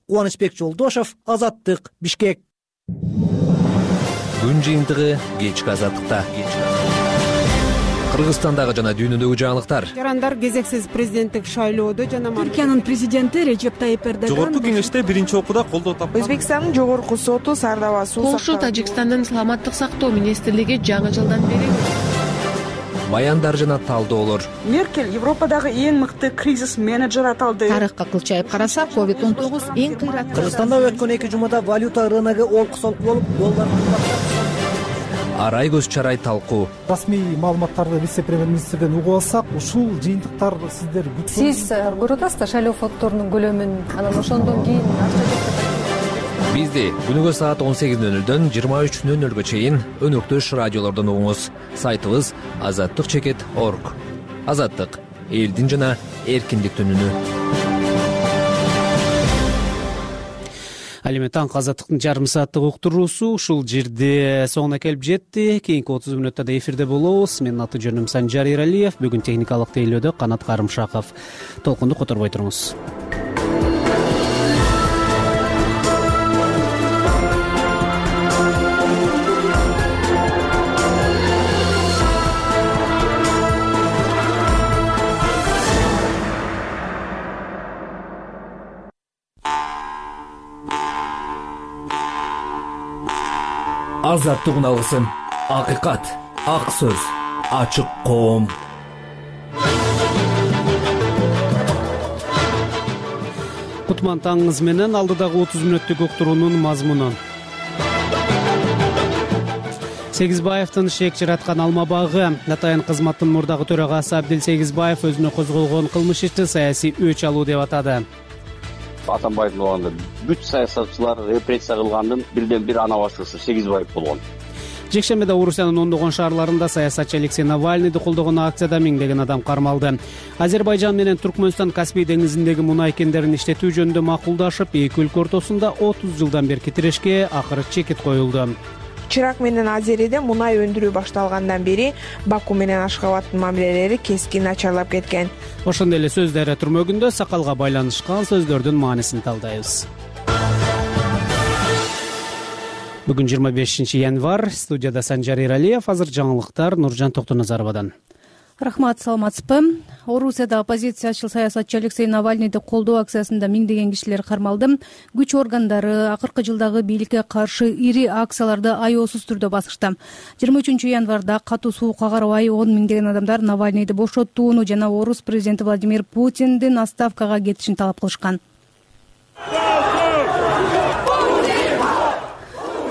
Кубанычбек Жолдошов, Азаттык, Бишкек. Күн жыйынтыгы кечки Азаттыкта. Кыргызстандагы жана дүйнөдөгү жаңылыктар. Жарандар кезексиз президенттик шайлоодо жана Түркиянын президенти Режеп Тайип Эрдоган жогорку кеңеште биринчи окууда колдоо тапкан. Өзбекстандын жогорку соту Сардава суу Польша Тажикстандын саламаттык сактоо министрлиги жаңы жылдан бери баяндар жана талдоолор. Меркель Европадагы эң мыкты кризис менеджер аталды. Тарыхка кылчайып караса, ковид он тогуз эң кыйраттуу. Кыргызстанда өткөн эки жумада валюта рыногу олку-солку болуп, доллар арай көз чарай талкуу. Расмий маалыматтарды вице-премьер-министрден угуп алсак, ушул жыйынтыктар сиздер Сиз көрүп атасыздар шайлоо фонддорунун көлөмүн, анан ошондон кийин Бизди күнүгө саат он сегиз нөл нөлдөн жыйырма үч нөл нөлгө чейин өнөктөш радиолордон угуңуз. Сайтыбыз азаттык чекит точка орг. Азаттык — элдин жана эркиндиктин үнү. Ал эми таңкы азаттыктын жарым сааттык уктуруусу ушул жерде соңуна келип жетти. Кийинки отуз мүнөттө да эфирде болобуз. Менин аты жөнүм Санжар Эралиев. Бүгүн техникалык тейлөөдө Канат Карымшаков. Толкунду которбой туруңуз. Азаттык алгысын. Акыйкат, ак сөз, ачык коом. Кутман таңыңыз менен алдыдагы отуз мүнөттүк уктуруунун мазмуну. Сегизбаевдин шек жараткан алма багы. Атайын кызматтын мурдагы төрагасы Абдил Сегизбаев өзүнө козголгон кылмыш ишти саясий өч алуу деп атады. Атамбаевдин убагында бүт саясатчылар репрессия кылгандын бирден бир ана башчысы Сегизбаев болгон. Жекшембиде Орусиянын ондогон шаарларында саясатчы Алексей Навальныйды колдогон акцияда миңдеген адам кармалды. Азербайжан менен Туркмөнстан Каспий деңизиндеги мунай кендерин иштетүү жөнүндө макулдашып, эки өлкө ортосунда отуз жылдан берки тирешке акыры чекит коюлду. Чирак менен Азериде мунай өндүрүү башталгандан бери Баку менен Ашхабадтын мамилелери кескин начарлап кеткен. Ошондой эле сөздөр түрмөгүндө сакалга байланышкан сөздөрдүн маанисин талдайбыз. Бүгүн жыйырма бешинчи январь, студияда Санжар Эралиев, азыр жаңылыктар Нуржан Токтоназаровадан. Рахмат, саламатсызбы. Орусияда оппозициячыл саясатчы Алексей Навальныйды колдоо акциясында миңдеген кишилер кармалды. Күч органдары акыркы жылдагы бийликке каршы ири акцияларды аеосуз түрдө басышты. жыйырма үчүнчү январда катуу суукка карабай он миңдеген адамдар Навальныйды бошоттууну жана орус президенти Владимир Путиндин отставкага кетишин талап кылышкан.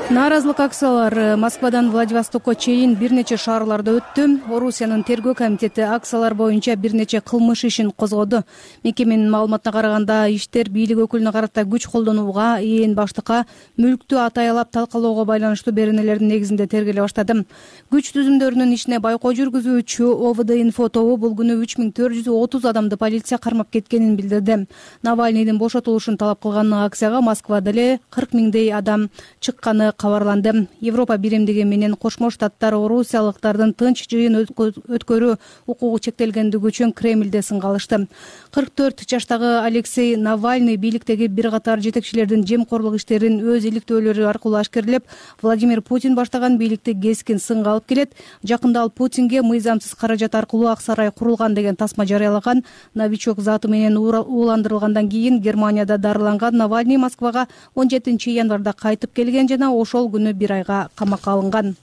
Нааразылык акциялары Москвадан Владивостокко чейин бир нече шаарларда өттү. Орусиянын тергөө комитети акциялар боюнча бир нече кылмыш ишин козгоду. Мекеменин маалыматына караганда, иштер бийлик өкүлүнө карата күч колдонууга, ээн баштыкка мүлктү атаялап талкалоого байланыштуу беренелердин негизинде тергеле баштады. Күч түзүмдөрүнүн ишине байкоо жүргүзүүчү О В Д Инфо тобу бул күнү үч миң төрт жүз отуз адамды полиция кармап кеткенин билдирди. Навальныйдын бошотулушун талап кылган акцияга Москвада эле кырк миңдей адам чыкканы кабарланды. Европа биримдиги менен Кошмо Штаттар орусиялыктардын тынч жыйын өткөрүү укугу чектелгендиги үчүн Кремлде сынга алышты. кырк төрт жаштагы Алексей Навальный бийликтеги бир катар жетекчилердин жемкорлук иштерин өз иликтөөлөрү аркылуу ашкерлеп, Владимир Путин баштаган бийликти кескин сынга алып келет. Жакында ал Путинге мыйзамсыз каражат аркылуу ак сарай курулган деген тасма жарыялаган. Новичок заты менен ууландырылгандан кийин Германияда дарыланган Навальный Москвага он жетинчи январда кайтып келген жана ошол күнү бир айга камакка алынган.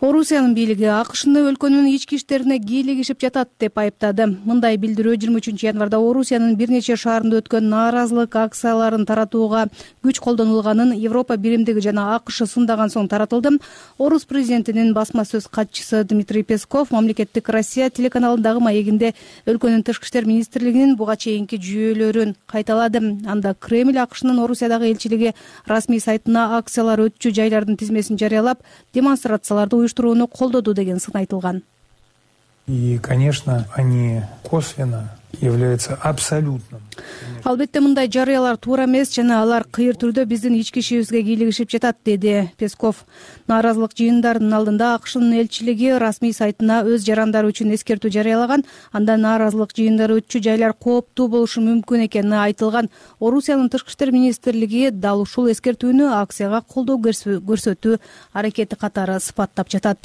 Орусиянын бийлиги АКШны өлкөнүн ички иштерине кийлигишип жатат деп айыптады. Мындай билдирүү жыйырма үчүнчү январда Орусиянын бир нече шаарында өткөн нааразылык акцияларын таратууга күч колдонулганын Европа биримдиги жана АКШ сындаган соң таратылды. Орус президентинин басма сөз катчысы Дмитрий Песков мамлекеттик Россия телеканалындагы маегинде өлкөнүн тышкы иштер министрлигинин буга чейинки жүйөлөрүн кайталады. Анда Кремль АКШнын Орусиядагы элчилиги расмий сайтына акциялар өтчү жайлардын тизмесин жарыялап, демонстрацияларды уюштурууну колдоду деген сын айтылган. И, конечно, они косвенно являются абсолютным. Албетте мындай жарыялар туура эмес жана алар кыйыр түрдө биздин ички ишибизге кийлигишип жатат, деди Песков. Нааразылык жыйындарынын алдында АКШнын элчилиги расмий сайтына өз жарандары үчүн эскертүү жарыялаган. Анда нааразылык жыйындары өтчү жайлар кооптуу болушу мүмкүн экени айтылган. Орусиянын тышкы иштер министрлиги дал ушул эскертүүнү акцияга колдоо көрсөтүү аракети катары сыпаттап жатат.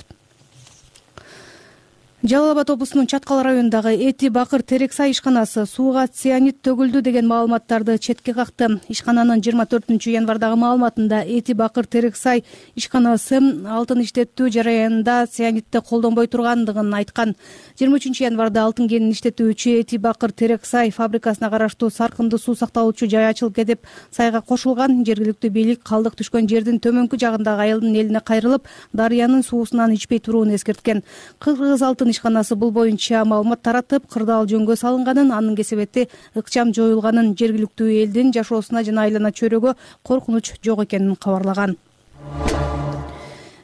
Жалал Абад облусунун Чаткал районундагы Эти Бакыр Терексай ишканасы сууга цианид төгүлдү деген маалыматтарды четке какты. Ишкананын жыйырма төртүнчү январдагы маалыматында Эти Бакыр Терексай ишканасы алтын иштетүү жараянында цианидти колдонбой тургандыгын айткан. жыйырма үчүнчү январда алтын кенин иштетүүчү Эти Бакыр Терексай фабрикасына караштуу Саркынды суу сакталуучу жай ачылып кетип, сайга кошулган. Жергиликтүү бийлик калдык түшкөн жердин төмөнкү жагындагы айылдын элине кайрылып, дарыянын суусунан ичпей турууну эскерткен. Кыргыз алтын Башкалардын ишканасы бул боюнча маалымат таратып, кырдаал жөнгө салынганын, анын кесепети ыкчам жоюлганын, жергиликтүү элдин жашоосуна жана айлана чөйрөгө коркунуч жок экенин кабарлаган.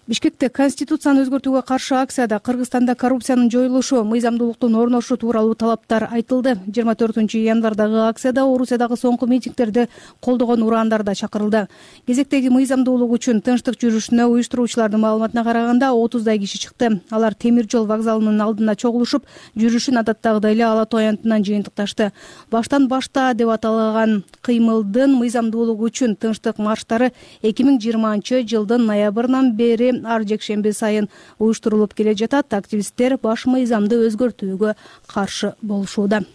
Бишкекте Конституцияны өзгөртүүгө каршы акцияда Кыргызстанда коррупциянын жоюлушу, мыйзамдуулуктун орношу тууралуу талаптар айтылды. жыйырма төртүнчү январдагы акцияда Орусиядагы соңку митингдерди колдогон ураандар да чакырылды. Кезектеги мыйзамдуулук үчүн тынчтык жүрүшүнө уюштуруучулардын маалыматына караганда отуздай киши чыкты. Алар темир жол вокзалынын алдына чогулушуп, жүрүшүн адаттагыдай эле Ала Тоо аянтынан жыйынтыкташты. Баштан башта деп аталган кыймылдын мыйзамдуулугу үчүн тынчтык марштары эки миң жыйырманчы жылдын ноябрынан бери ар жекшемби сайын уюштурулуп келе жатат. Активисттер баш мыйзамды өзгөртүүгө каршы болушууда.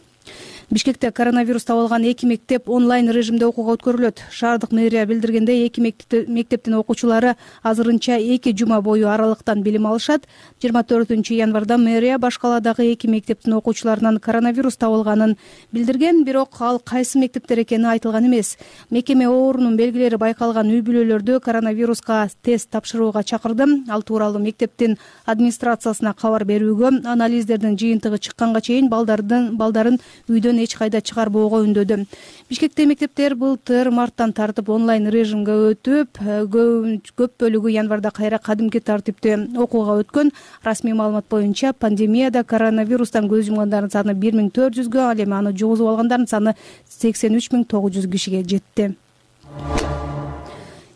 Бишкекте коронавирус табылган эки мектеп онлайн режимде окууга өткөрүлөт. Шаардык мэрия билдиргендей, эки мектептин окуучулары азырынча эки жума бою аралыктан билим алышат. жыйырма төртүнчү январда мэрия Башкаладагы эки мектептин окуучуларынан коронавирус табылганын билдирген, бирок ал кайсы мектептер экени айтылган эмес. Мекеме оорунун белгилери байкалган үй-бүлөлөрдө коронавируска тест тапшырууга чакырды. Ал тууралуу мектептин администрациясына кабар берүүгө, анализдердин жыйынтыгы чыкканга чейин балдардын балдарын үйдөн эч кайда чыгарбоого үндөдү. Бишкекте мектептер былтыр марттан тартып онлайн режимге өтүп, көп бөлүгү январда кайра кадимки тартипте окууга өткөн. Расмий маалымат боюнча пандемияда коронавирустан көз жумгандардын саны бир миң төрт жүзгө, ал эми аны жугузуп алгандардын саны сексен үч миң тогуз жүз кишиге жетти.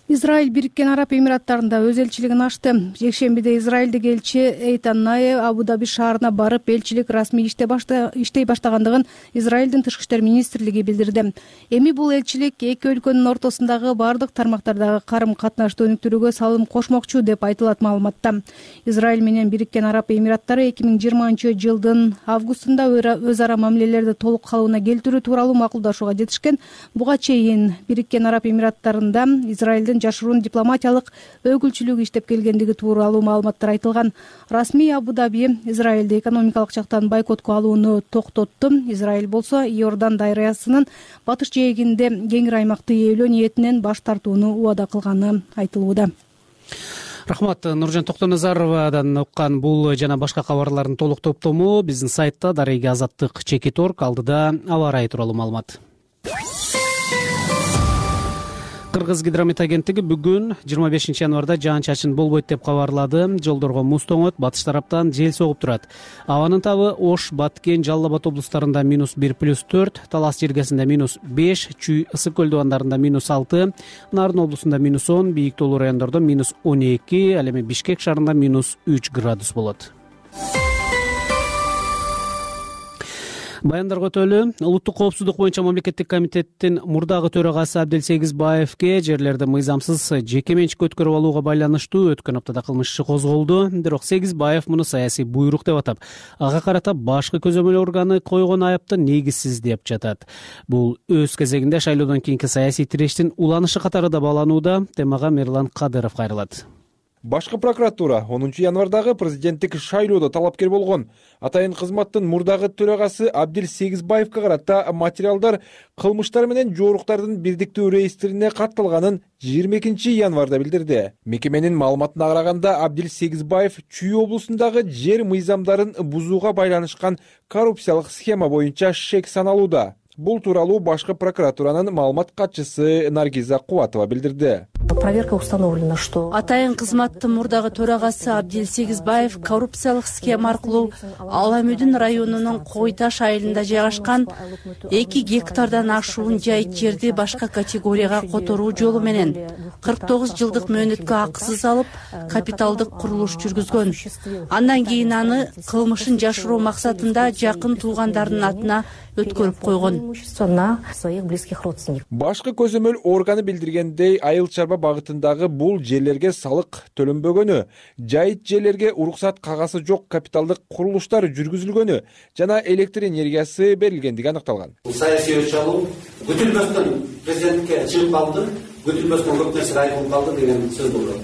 Израиль Бириккен Араб Эмираттарында өз элчилигин ачты. Жекшембиде израилдик элчи Эйтан Нае Абу-Даби шаарына барып, элчилик расмий иштей баштагандыгын Израилдин тышкы иштер министрлиги билдирди. Эми бул элчилик эки өлкөнүн ортосундагы бардык тармактардагы карым-катнашты өнүктүрүүгө салым кошмокчу деп айтылат маалыматта. Израиль менен Бириккен Араб Эмираттары эки миң жыйырманчы жылдын августунда өз ара мамилелерди толук калыбына келтирүү тууралуу макулдашууга жетишкен. Буга чейин Бириккен Араб Эмираттарында Израилдин жашыруун дипломатиялык өкүлчүлүгү иштеп келгендиги тууралуу маалыматтар айтылган. Расмий Абу-Даби Израилди экономикалык жактан бойкотко алууну токтотту. Израиль болсо Иордан дарыясынын батыш жээгинде кеңир аймакты ээлөө ниетинен баш тартууну убада кылганы айтылууда. Рахмат, Нуржан Токтоназаровадан уккан бул жана башка кабарлардын толук топтому биздин сайтта дареги азаттык чекит точка орг. Алдыда аба ырайы тууралуу маалымат. Кыргыз гидромет агенттиги бүгүн жыйырма бешинчи январда жаан-чачын болбойт деп кабарлады. Жолдорго муз тоңот, батыш тараптан жел согуп турат. Абанын табы Ош, Баткен, Жалал Абад облустарында минус бир плюс төрт, Талас жергесинде минус беш, Чүй, Ысык көл дубандарында минус алты, Нарын облусунда минус он, бийик тоолуу райондордо минус он эки, ал эми Бишкек шаарында минус үч градус болот. Баяндар көтөлү. Улуттук коопсуздук боюнча мамлекеттик комитеттин мурдагы төрагасы Абдел Сегизбаевке жерлерди мыйзамсыз жеке менчикке өткөрүп алууга байланыштуу өткөн аптада кылмыш иши козголду. Бирок Сегизбаев муну саясий буйрук деп атап, ага карата башкы көзөмөл органы койгон айыпты негизсиз деп жатат. Бул өз кезегинде шайлоодон кийинки саясий тирештин уланышы катары да бааланууда. Темага Мерлан Кадыров кайрылат. Башкы прокуратура онунчу январдагы президенттик шайлоодо талапкер болгон атайын кызматтын мурдагы төрагасы Абдел Сегизбаевке карата материалдар кылмыштар менен жооруктардын бирдиктүү реестрине катталганын жыйырма экинчи январда билдирди. Мекеменин маалыматына караганда Абдел Сегизбаев Чүй облусундагы жер мыйзамдарын бузууга байланышкан коррупциялык схема боюнча шек саналууда. Бул тууралуу башкы прокуратуранын маалымат катчысы Наргиза Кубатова билдирди. Проверка установлена, что атайын кызматтын мурдагы төрагасы Абдел Сегизбаев коррупциялык схема аркылуу Аламүдүн районунун Койташ айылында жайгашкан эки гектардан ашуун жайыт жерди башка категорияга которуу жолу менен кырк тогуз жылдык мөөнөткө акысыз алып, капиталдык курулуш жүргүзгөн. Андан кийин аны кылмышын жашыруу максатында жакын туугандарынын атына өткөрүп койгон. Башкы көзөмөл органы билдиргендей, айыл чарба багытындагы бул жерлерге салык төлөнбөгөнү, жайыт жерлерге уруксат кагазы жок капиталдык курулуштар жүргүзүлгөнү жана электр энергиясы берилгендиги аныкталган. Саясий өч алуу күтүлбөстөн президентке чыгып калды, күтүлбөстөн көп нерсе айтылып калды деген сөз болду.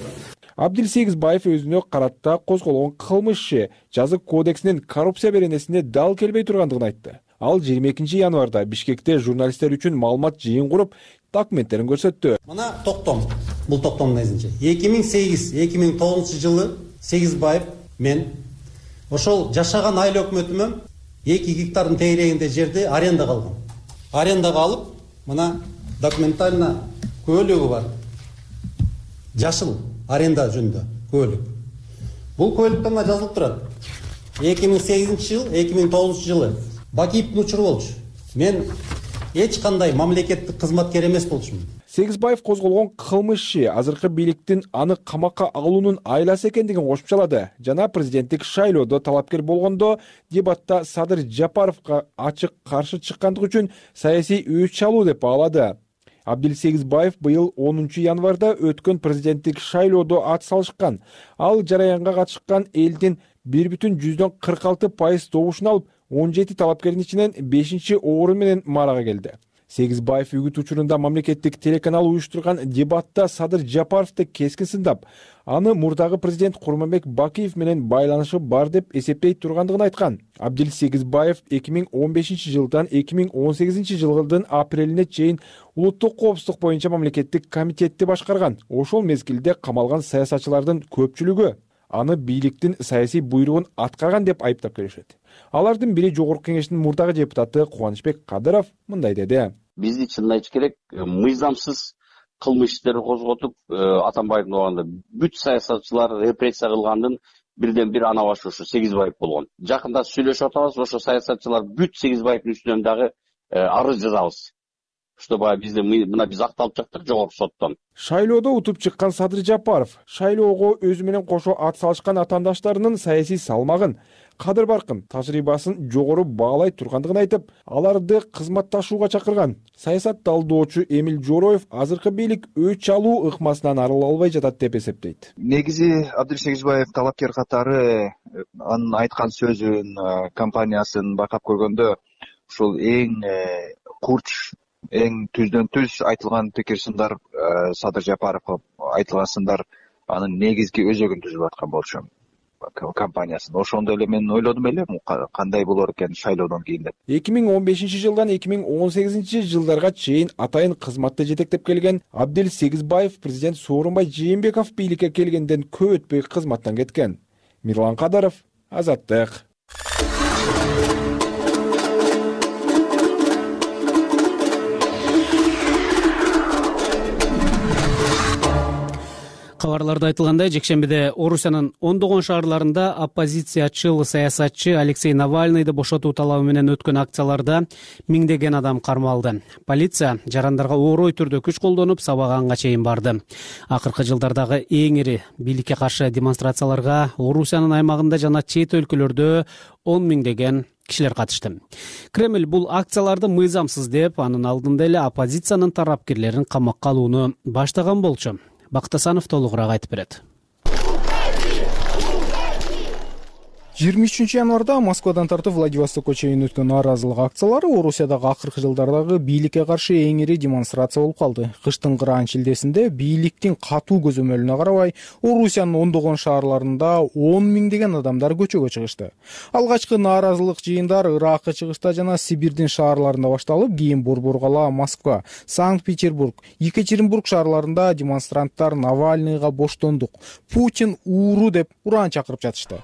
Абдел Сегизбаев өзүнө карата козголгон кылмыш иши жазык кодексинин коррупция беренесине дал келбей тургандыгын айтты. Ал жыйырма экинчи январда Бишкекте журналисттер үчүн маалымат жыйын куруп, документтерин көрсөттү. Мына токтом, бул токтомдун негизинче эки миң сегиз эки миң тогузунчу жылы Сегизбаев мен ошол жашаган айыл өкмөтүмөн эки гектардын тегерегинде жерди арендага алгам. Арендага алып, мына документально көлөгү бар. Жашыл аренда жөнүндө көлөк. Бул көлөктө мына жазылып турат. эки миң сегизинчи жыл, эки миң тогузунчу жылы Бакиевдин учуру болчу. Мен эч кандай мамлекеттик кызматкер эмес болчумун. Сегизбаев козголгон кылмыш иши азыркы бийликтин аны камакка алуунун айласы экендигин кошумчалады. Жана президенттик шайлоодо талапкер болгондо дебатта Садыр Жапаровго ачык каршы чыккандыгы үчүн саясий өч чалуу деп баалады. Абдил Сегизбаев быйыл онунчу январда өткөн президенттик шайлоодо ат салышкан. Ал жараянга катышкан элдин бир бүтүн жүздөн кырк алты пайыз добушун алып, он жети талапкердин ичинен бешинчи орун менен марага келди. Сегизбаев үгүт учурунда мамлекеттик телеканал уюштурган дебатта Садыр Жапаровду кескин сындап, аны мурдагы президент Курманбек Бакиев менен байланышы бар деп эсептей тургандыгын айткан. Абдил Сегизбаев эки миң он бешинчи жылдан эки миң он сегизинчи жылдын апрелине чейин улуттук коопсуздук боюнча мамлекеттик комитетти башкарган. Ошол мезгилде камалган саясатчылардын көпчүлүгү аны бийликтин саясий буйругун аткарган деп айыптап келишет. Алардын бири Жогорку Кеңештин мурдагы депутаты Кубанычбек Кадыров мындай деди. Бизди чынын айтыш керек, мыйзамсыз кылмыш иштерди козготуп, Атамбаевдин убагында бүт саясатчылар репрессия кылгандын бирден бир ана башы ушу Сегизбаев болгон. Жакында сүйлөшүп атабыз, ошо саясатчылар бүт Сегизбаевдин үстүнөн дагы арыз жазабыз. Чтобы бизде мына биз акталып чыктык жогорку соттон. Шайлоодо утуп чыккан Садыр Жапаров шайлоого өзү менен кошо ат салышкан атаандаштарынын саясий салмагын, кадыр баркын, тажрыйбасын жогору баалай тургандыгын айтып, аларды кызматташууга чакырган. Саясат талдоочу Эмил Жороев азыркы бийлик өч алуу ыкмасынан арыла албай жатат деп эсептейт. Негизи Абдил Сегизбаев талапкер катары анын айткан сөзүн, компаниясын байкап көргөндө ушул эң курч, эң түздөн түз айтылган пикир сындар, Садыр Жапаровго айтылган сындар анын негизги өзөгүн түзүп аткан болчу компаниясын. Ошондо эле мен ойлодум эле кандай болор экен шайлоодон кийин деп. эки миң он бешинчи жылдан эки миң он сегизинчи жылдарга чейин атайын кызматты жетектеп келген Абдил Сегизбаев президент Сооронбай Жээнбеков бийликке келгенден көп өтпөй кызматтан кеткен. Мирлан Кадаров, Азаттык. Кабарларда айтылгандай, жекшембиде Орусиянын ондогон шаарларында оппозициячыл саясатчы Алексей Навальныйды бошотуу талабы менен өткөн акцияларда миңдеген адам кармалды. Полиция жарандарга оорой түрдө күч колдонуп, сабаганга чейин барды. Акыркы жылдардагы эң ири бийликке каршы демонстрацияларга Орусиянын аймагында жана чет өлкөлөрдө он миңдеген кишилер катышты. Кремль бул акцияларды мыйзамсыз деп, анын алдында эле оппозициянын тарапкерлерин камакка алууну баштаган болчу. Бактасанов толугураак айтып берет. жыйырма үчүнчү январда Москвадан тартып Владивостокко чейин өткөн нааразылык акциялары Орусиядагы акыркы жылдардагы бийликке каршы эң ири демонстрация болуп калды. Кыштын кыраан шилдесинде бийликтин катуу көзөмөлүнө карабай, Орусиянын ондогон шаарларында он миңдеген адамдар көчөгө чыгышты. Алгачкы нааразылык жыйындар Иракка чыгышта жана Сибирдин шаарларында башталып, кийин Борбор-кала, Москва, Санкт-Петербург, Екатеринбург шаарларында демонстранттар Навальныйга боштондук, Путин ууру деп ураан чакырып жатышты.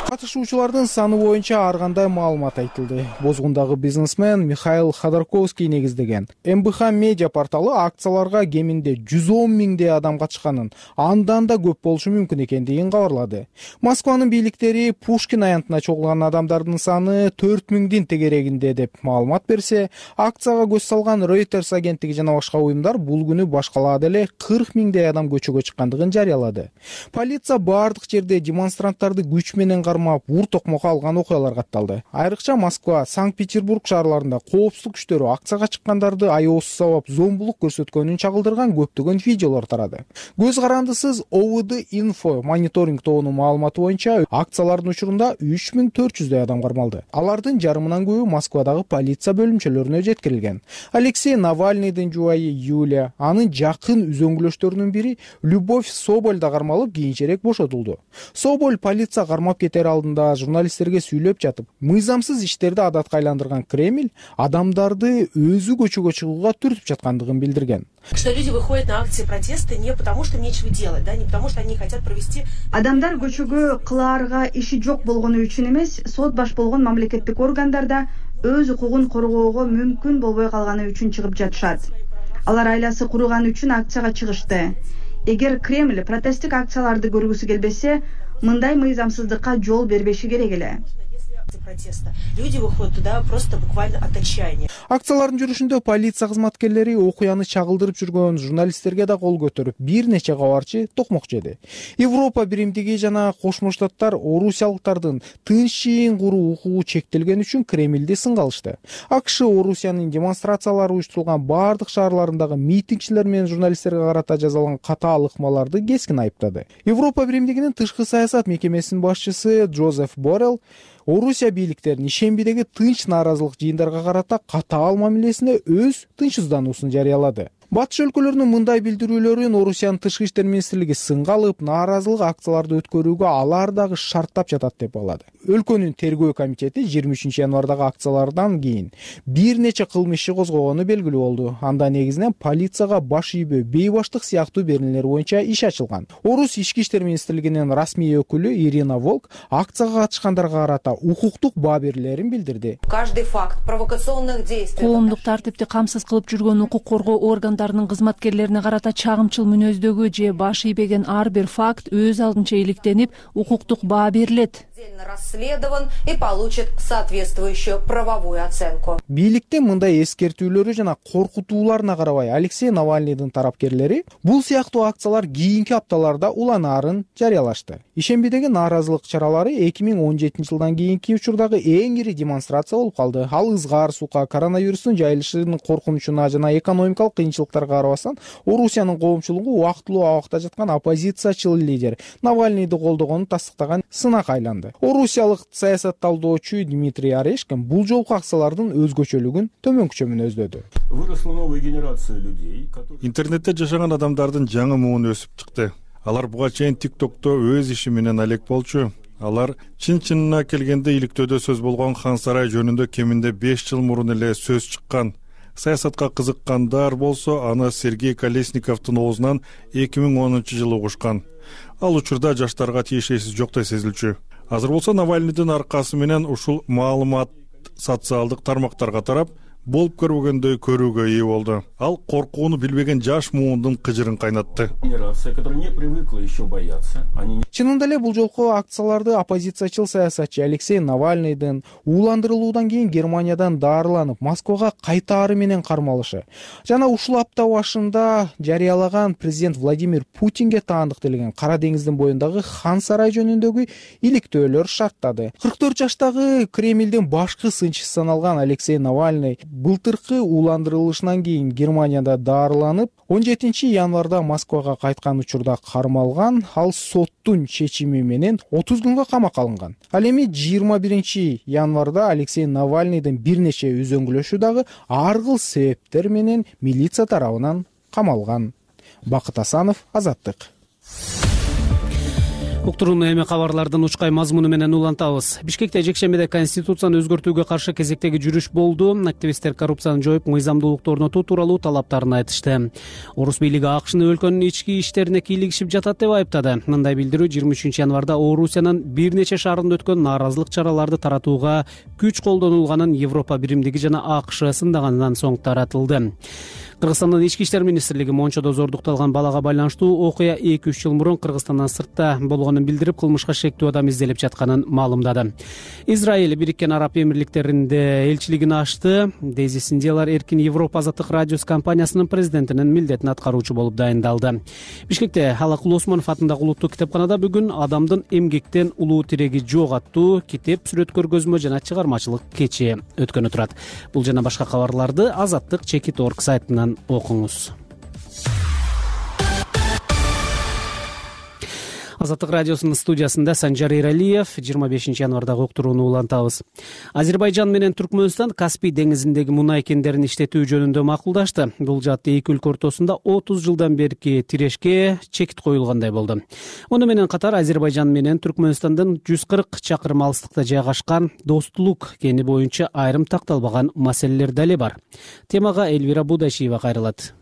Катышуучулардын саны боюнча ар кандай маалымат айтылды. Бозгундагы бизнесмен Михаил Ходорковский негиздеген эм бэ ха медиа порталы акцияларга кеминде жүз он миңдей адам катышканын, андан да көп болушу мүмкүн экендигин кабарлады. Москванын бийликтери Пушкин аянтына чогулган адамдардын саны төрт миңдин тегерегинде деп маалымат берсе, акцияга көз салган Reuters агенттиги жана башка уюмдар бул күнү башкалаада эле кырк миңдей адам көчөгө чыккандыгын жарыялады. Полиция бардык жерде демонстранттарды күч менен ур токмокко алган окуялар катталды. Айрыкча Москва, Санкт-Петербург шаарларында коопсуздук күчтөрү акцияга чыккандарды аеосуз сабап зомбулук көрсөткөнүн чагылдырган көптөгөн видеолор тарады. Көз карандысыз о вэ дэ Info мониторинг тобунун маалыматы боюнча акциялардын учурунда үч миң төрт жүздөй адам кармалды. Алардын жарымынан көбү Москвадагы полиция бөлүмчөлөрүнө жеткирилген. Алексей Навальныйдын жубайы Юлия, анын жакын үзөңгүлөштөрүнүн бири Любовь Соболь да кармалып, кийинчерээк бошотулду. Соболь полиция кармап кетери алдында журналисттерге сүйлөп жатып, мыйзамсыз иштерди адатка айландырган Кремль адамдарды өзү көчөгө чыгууга түртүп жаткандыгын билдирген. Что люди выходят на акции протеста не потому, что им нечего делать, да, не потому, что они хотят провести. Адамдар көчөгө кылаарга иши жок болгону үчүн эмес, сот баш болгон мамлекеттик органдарда өз укугун коргоого мүмкүн болбой калганы үчүн чыгып жатышат. Алар айласы курugан үчүн акцияга чыгышты. Эгер Кремль протесттик акцияларды көргүсү келбесе, мындай мыйзамсыздыкка жол бербеши керек эле. Люди выходят туда просто буквально от отчаяния. Акциялардын жүрүшүндө полиция кызматкерлери окуяны чагылдырып жүргөн журналисттерге да кол көтөрүп, бир нече кабарчы токмок жеди. Европа биримдиги жана Кошмо Штаттар орусиялыктардын тынчын куруу укугу чектелген үчүн Кремльди сынга алышты. АКШ Орусиянын демонстрациялары уюштурулган бардык шаарларындагы митингчилер менен журналисттерге карата жазалган катаал ыкмаларды кескин айыптады. Европа биримдигинин тышкы саясат мекемесинин башчысы Джозеф Боррелл Орусия бийликтеринин ишембидеги тынч нааразылык жыйындарга карата катаал мамилесине өз тынчсыздануусун жарыялады. Батыш өлкөлөрүнүн мындай билдирүүлөрүн Орусиянын тышкы иштер министрлиги сынга алып, нааразылык акцияларды өткөрүүгө алар дагы шарттап жатат деп балады. Өлкөнүн тергөө комитети жыйырма үчүнчү январдагы акциялардан кийин бир нече кылмыш иши козгогону белгилүү болду. Анда негизинен полицияга баш ийбөө, бейбаштык сыяктуу беренелер боюнча иш ачылган. Орус ички иштер министрлигинин расмий өкүлү Ирина Волк акцияга катышкандарга карата укуктук баа берүүлөрүн билдирди. Каждый факт провокационных действий. Коомдук тартипти камсыз кылып жүргөн укук коргоо органдарынын кызматкерлерине карата чагымчыл мүнөздөгү же баш ийбеген ар бир факт өз алдынча иликтенип, укуктук баа берилет. Расследован и получит соответствующую правовую оценку. Бийликтин мындай эскертүүлөрү жана коркутууларына карабай, Алексей Навальныйдын тарапкерлери бул сыяктуу акциялар кийинки апталарда уланаарын жарыялашты. Ишембидеги нааразылык чаралары эки миң он жетинчи жылдан кийинки учурдагы эң ири демонстрация болуп калды. Ал ызгаар сука, коронавирустун жайылышынын коркунучуна жана экономикалык кыйынчылыктарга карабастан, Орусиянын коомчулугу убактылуу абакта жаткан оппозициячыл лидер Навальныйды колдогонун тастыктаган сынак айланды. Орусиялык саясат талдоочу Дмитрий Орешкин бул жолку акциялардын өзгөчөлүгүн төмөнкүчө мүнөздөдү. Выросла новая генерация людей. Интернетте жашаган адамдардын жаңы муун өсүп чыкты. Алар буга чейин ТикТокто өз иши менен алек болчу. Алар чын-чынына келгенде иликтөөдө сөз болгон Хан сарай жөнүндө кеминде беш жыл мурун эле сөз чыккан. Саясатка кызыккандар болсо, аны Сергей Колесниковдун оозунан эки миң онунчу жылы угушкан. Ал учурда жаштарга тиешеси жоктой сезилчү. Азыр болсо Навальныйдын аркасы менен ушул маалымат социалдык тармактарга тарап, болуп көрбөгөндөй көрүүгө ээ болду. Ал коркууну билбеген жаш муундун кыжырын кайнатты. Чынында эле бул жолку акцияларды оппозициячыл саясатчы Алексей Навальныйдын ууландырылуудан кийин Германиядан дарыланып, Москвага кайтаары менен кармалышы жана ушул апта башында жарыялаган президент Владимир Путинге таандык делген Кара деңиздин боюндагы Хан сарай жөнүндөгү иликтөөлөр шарттады. кырк төрт жаштагы Кремльдин башкы сынчысы саналган Алексей Навальный былтыркы ууландырылышынан кийин Германияда дарыланып, он жетинчи январда Москвага кайткан учурда кармалган. Ал соттун чечими менен отуз күнгө камакка алынган. Ал эми жыйырма биринчи январда Алексей Навальныйдын бир нече үзөңгүлөшү дагы ар кыл себептер менен милиция тарабынан камалган. Бакыт Асанов, Азаттык. Уктурууну эми кабарлардын учкай мазмуну менен улантабыз. Бишкекте жекшембиде конституцияны өзгөртүүгө каршы кезектеги жүрүш болду. Активисттер коррупцияны жоюп, мыйзамдуулукту орнотуу тууралуу талаптарын айтышты. Орус бийлиги АКШны өлкөнүн ички иштерине кийлигишип жатат деп айыптады. Мындай билдирүү жыйырма үчүнчү январда Орусиянын бир нече шаарында өткөн нааразылык чараларды таратууга күч колдонулганын Европа биримдиги жана АКШ сындагандан соң таратылды. Кыргызстандын ички иштер министрлиги Мончодо зордукталган балага байланыштуу окуя эки үч жыл мурун Кыргызстандан сыртта болгонун билдирип, кылмышка шектүү адам изделип жатканын маалымдады. Израиль Бириккен Араб Эмирликтеринде элчилигин ачты. Дейзи Синдиялар Эркин Европа азаттык радиосу компаниясынын президентинин милдетин аткаруучу болуп дайындалды. Бишкекте Алакул Осмонов атындагы улуттук китепканада бүгүн адамдын эмгектен улуу тиреги жок аттуу китеп, сүрөт көргөзмө жана чыгармачылык кечи өткөнү турат. Бул жана башка кабарларды азаттык чекит точка орг сайтынан окуңуз. Азаттык радиосунун студиясында Санжар Эралиев. жыйырма бешинчи январдагы уктурууну улантабыз. Азербайжан менен Түркмөнстан Каспий деңизиндеги мунай кендерин иштетүү жөнүндө макулдашты. Бул жаатта эки өлкө ортосунда отуз жылдан берки тирешке чекит коюлгандай болду. Муну менен катар Азербайжан менен Түркмөнстандын жүз кырк чакырым алыстыкта жайгашкан Достулук кени боюнча айрым такталбаган маселелер дале бар. Темага Элвира Будашиева кайрылат.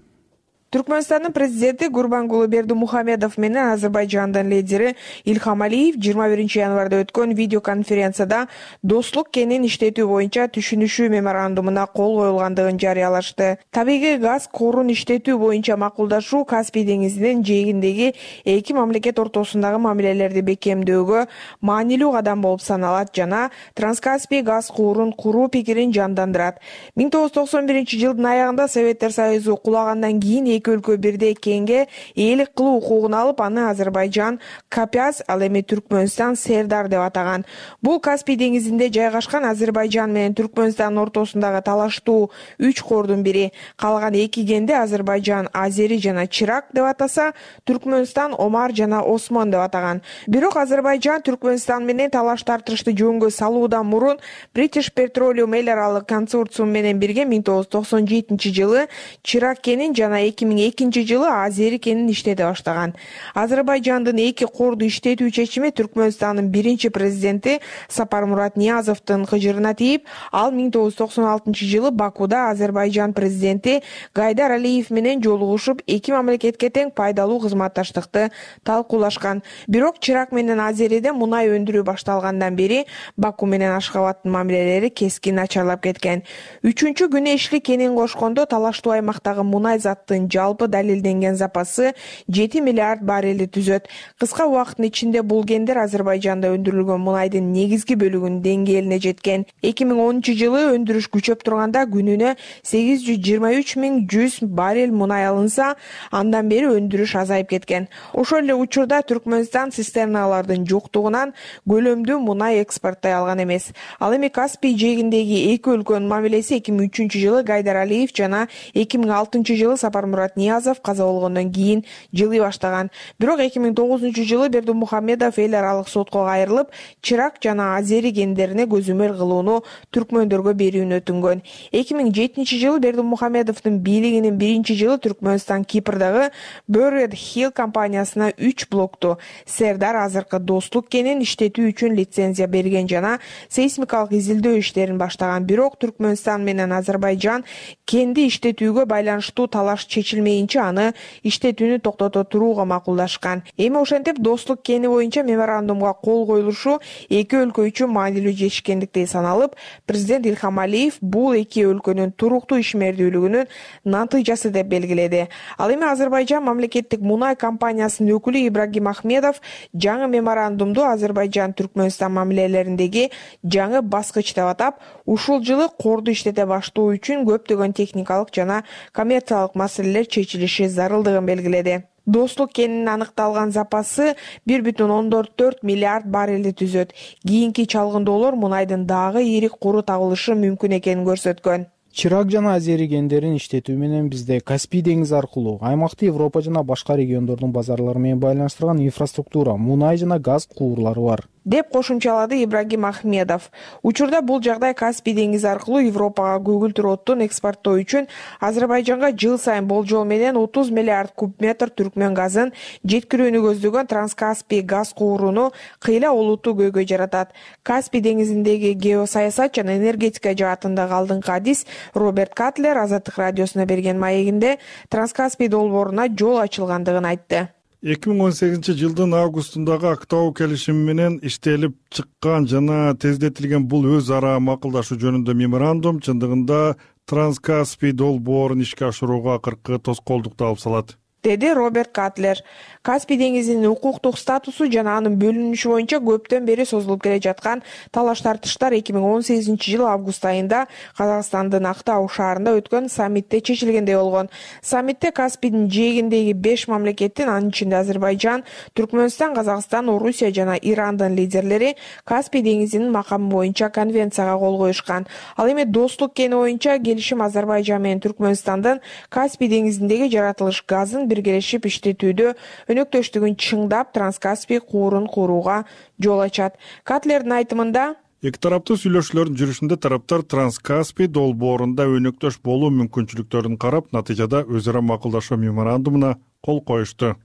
Түркмөнстандын президенти Гурбангулы Бердимухамедов менен Азербайжандын лидери Ильхам Алиев жыйырма биринчи январда өткөн видеоконференцияда Достулук кенин иштетүү боюнча түшүнүшүү меморандумуна кол коюлгандыгын жарыялашты. Табигый газ корун иштетүү боюнча макулдашуу Каспий деңизинин жээгиндеги эки мамлекет ортосундагы мамилелерди бекемдөөгө маанилүү кадам болуп саналат жана Транскаспий газ куурун куруу пикирин жандандырат. миң тогуз жүз токсон биринчи жылдын аягында Советтер Союзу кулагандан кийин эки өлкө бирдей кенге ээлик кылуу укугун алып, аны Азербайжан Капяз, ал эми Түркмөнстан Сердар деп атаган. Бул Каспий деңизинде жайгашкан Азербайжан менен Түркмөнстан ортосундагы талаштуу үч кордун бири. Калган эки кенди Азербайжан Азери жана Чирак деп атаса, Түркмөнстан Омар жана Осмон деп атаган. Бирок Азербайжан Түркмөнстан менен талаш тартышты жөнгө салуудан мурун British Petroleum эл аралык консорциум менен бирге миң тогуз жүз токсон жетинчи жылы Чирак кенин жана эки миң экинчи жылы Азери кенин иштете баштаган. Азербайжандын эки корду иштетүү чечими Түркмөнстандын биринчи президенти Сапармурат Ниязовдун кыжырына тийип, ал миң тогуз жүз токсон алтынчы жылы Бакуда Азербайжан президенти Гайдар Алиев менен жолугушуп, эки мамлекетке тең пайдалуу кызматташтыкты талкуулашкан. Бирок Чирак менен Азериде мунай өндүрүү башталгандан бери Баку менен Ашхабадтын мамилелери кескин начарлап кеткен. Үчүнчү күнү ишли кенин кошкондо талаштуу аймактагы мунай заттын жалпы далилденген запасы жети миллиард баррелди түзөт. Кыска убакыттын ичинде бул кендер Азербайжанда өндүрүлгөн мунайдын негизги бөлүгүнүн деңгээлине жеткен. эки миң онунчу жылы өндүрүш күчөп турганда күнүнө сегиз жүз жыйырма үч миң жүз баррель мунай алынса, андан бери өндүрүш азайып кеткен. Ошол эле учурда Түркмөнстан цистерналардын жоктугунан көлөмдүү мунай экспорттой алган эмес. Ал эми Каспий жээгиндеги эки өлкөнүн мамилеси эки миң үчүнчү жылы Гайдар Алиев жана эки миң алтынчы жылы Сапармурат Ниязов каза болгондон кийин жылый баштаган. Бирок эки миң тогузунчу жылы Бердимухамедов эл аралык сотко кайрылып, Чирак жана Азери кендерине көзөмөл кылууну түркмөндөргө берүүнү өтүнгөн. эки миң жетинчи жылы Бердимухамедовдун бийлигинин биринчи жылы Түркмөнстан Кипрдагы Buried Hill компаниясына үч блокту Сердар азыркы Достук кенин иштетүү үчүн лицензия берген жана сейсмикалык изилдөө иштерин баштаган. Бирок Түркмөнстан менен Азербайжан кенди иштетүүгө байланыштуу талаш чечилмейинче аны иштетүүнү токтото турууга макулдашкан. Эми ошентип Достук кени боюнча меморандумга кол коюлушу эки өлкө үчүн маанилүү жетишкендиктей саналып, президент Ильхам Алиев бул эки өлкөнүн туруктуу ишмердүүлүгүнүн натыйжасы деп белгиледи. Ал эми Азербайжан мамлекеттик мунай компаниясынын өкүлү Ибрагим Ахмедов жаңы меморандумду Азербайжан Түркмөнстан мамилелериндеги жаңы баскыч деп атап, ушул жылы корду иштете баштоо үчүн көптөгөн техникалык жана коммерциялык маселелер чечилиши зарылдыгын белгиледи. Достук кенинин аныкталган запасы бир бүтүн ондон төрт миллиард баррелди түзөт. Кийинки чалгындоолор мунайдын дагы ийрик куру табылышы мүмкүн экенин көрсөткөн. Чирак жана Азери кендерин иштетүү менен бизде Каспий деңизи аркылуу аймакты Европа жана башка региондордун базарлары менен байланыштырган инфраструктура, мунай жана газ куурлары бар, деп кошумчалады Ибрагим Ахмедов. Учурда бул жагдай Каспий деңизи аркылуу Европага көгүлтүр оттун экспорттоо үчүн Азербайжанга жыл сайын болжол менен отуз миллиард куб метр түркмөн газын жеткирүүнү көздөгөн Транскаспий газ кууруну кыйла олуттуу көйгөй жаратат. Каспий деңизиндеги геосаясат жана энергетика жаатындагы алдыңкы адис Роберт Катлер Азаттык радиосуна берген маегинде Транскаспий долбооруна жол ачылгандыгын айтты. эки миң он сегизинчи жылдын августундагы Актау келишими менен иштелип чыккан жана тездетилген бул өз ара макулдашуу жөнүндө меморандум чындыгында Транскаспий долбоорун ишке ашырууга акыркы тоскоолдукту алып салат, деди Роберт Катлер. Каспий деңизинин укуктук статусу жана анын бөлүнүшү боюнча көптөн бери созулуп келе жаткан талаш тартыштар эки миң он сегизинчи жылы август айында Казакстандын Актау шаарында өткөн саммитте чечилгендей болгон. Саммитте Каспийдин жээгиндеги беш мамлекеттин, анын ичинде Азербайжан, Түркмөнстан, Казакстан, Орусия жана Ирандын лидерлери Каспий деңизинин макамы боюнча конвенцияга кол коюшкан. Ал эми Достук кени боюнча келишим Азербайжан менен Түркмөнстандын Каспий деңизиндеги жаратылыш газын биргелешип иштетүүдө өнөктөштүгүн чыңдап Транскаспий куурун курууга жол ачат. Катлердин айтымында эки тараптуу сүйлөшүүлөрдүн жүрүшүндө тараптар Транскаспий долбоорунда өнөктөш болуу мүмкүнчүлүктөрүн карап, натыйжада өз ара макулдашуу меморандумуна кол коюшту.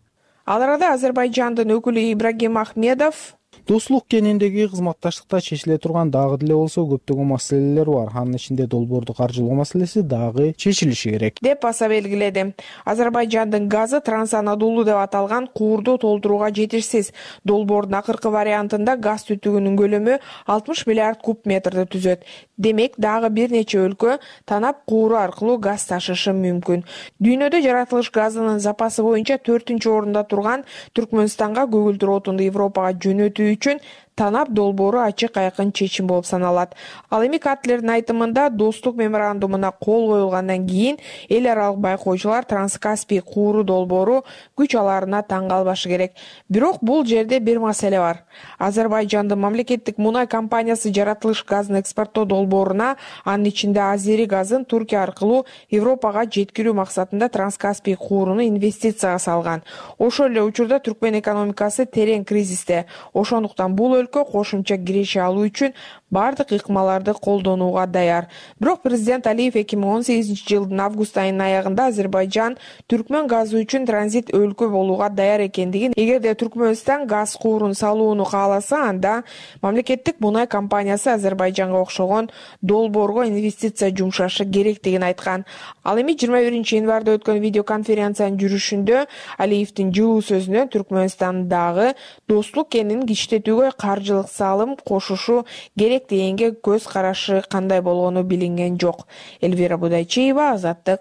Ал арада Азербайжандын өкүлү Ибрагим Ахмедов достук кенендеги кызматташтыкта чечиле турган дагы деле болсо көптөгөн маселелер бар. Анын ичинде долбоорду каржылоо маселеси дагы чечилиши керек деп баса белгиледи. Азербайжандын газы Транс-Анадолу деп аталган куурду толтурууга жетишсиз. Долбоордун акыркы вариантында газ түтүгүнүн көлөмү алтымыш миллиард куб метрди түзөт. Демек, дагы бир нече өлкө танап кууру аркылуу газ ташышы мүмкүн. Дүйнөдө жаратылыш газынын запасы боюнча төртүнчү орунда турган Түркмөнстанга көгүлдүр отунду Европага жөнөтүү үчүн танап долбоору ачык айкын чечим болуп саналат. Ал эми Катлердин айтымында достук меморандумуна кол коюлгандан кийин эл аралык байкоочулар Транскаспий кууру долбоору күч алаарына таң калбашы керек. Бирок бул жерде бир маселе бар. Азербайжандын мамлекеттик мунай компаниясы жаратылыш газын экспорттоо долбооруна, анын ичинде Азери газын Туркия аркылуу Европага жеткирүү максатында Транскаспий кууруну инвестицияга салган. Ошол эле учурда Түркмөн экономикасы терең кризисте. Ошондуктан бул өлкө кошумча киреше алуу үчүн бардык ыкмаларды колдонууга даяр. Бирок президент Алиев эки миң он сегизинчи жылдын август айынын аягында Азербайжан Түркмөн газы үчүн транзит өлкө болууга даяр экендигин, эгерде Түркмөнстан газ куурун салууну кааласа, анда мамлекеттик мунай компаниясы Азербайжанга окшогон долбоорго инвестиция жумшашы керектигин айткан. Ал эми жыйырма биринчи январда өткөн видеоконференциянын жүрүшүндө Алиевдин жылуу сөзүнөн Түркмөнстандагы достук кенин кичтетүүгө каржылык салым кошушу керек дегенге көз карашы кандай болгону билинген жок. Элвира Будайчиева, Азаттык.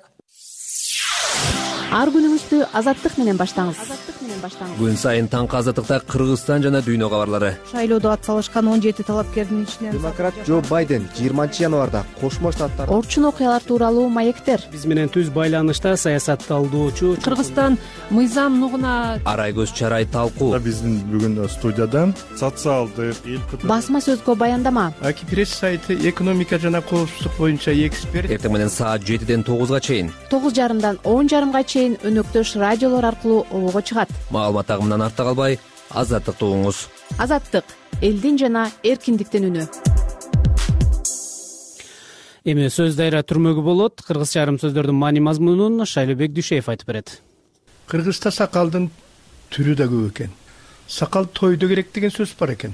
Ар күнүңүздү Азаттык менен баштаңыз. Күн сайын таңкы Азаттыкта Кыргызстан жана дүйнө кабарлары. Шайлоодо атсалышкан он жети талапкердин ичинен демократ Джо Байден жыйырманчы январда Кошмо Штаттар орчун окуялар тууралуу маектер. Биз менен түз байланышта саясатталдоочу Кыргызстан мыйзам нугуна Арайгөз Чарай талкуу. Биздин бүгүн студияда социалдык эл басма сөзгө баяндама. Аки пресс сайты экономика жана коопсуздук боюнча эксперт. Эртең менен саат жетиден тогузга чейин, тогуз жарымдан он жарымга чейин өнөктөш радиолор аркылуу обого чыгат. Маалымат агымынан артта калбай, Азаттыкты угуңуз. Азаттык — элдин жана эркиндиктин үнү. Эми сөз дайра түрмөгү болот. Кыргызча айрым сөздөрдүн маани мазмунун Шайлообек Дүйшеев айтып берет. Кыргызда сакалдын түрү да көп экен. Сакал тойдо керек деген сөз бар экен.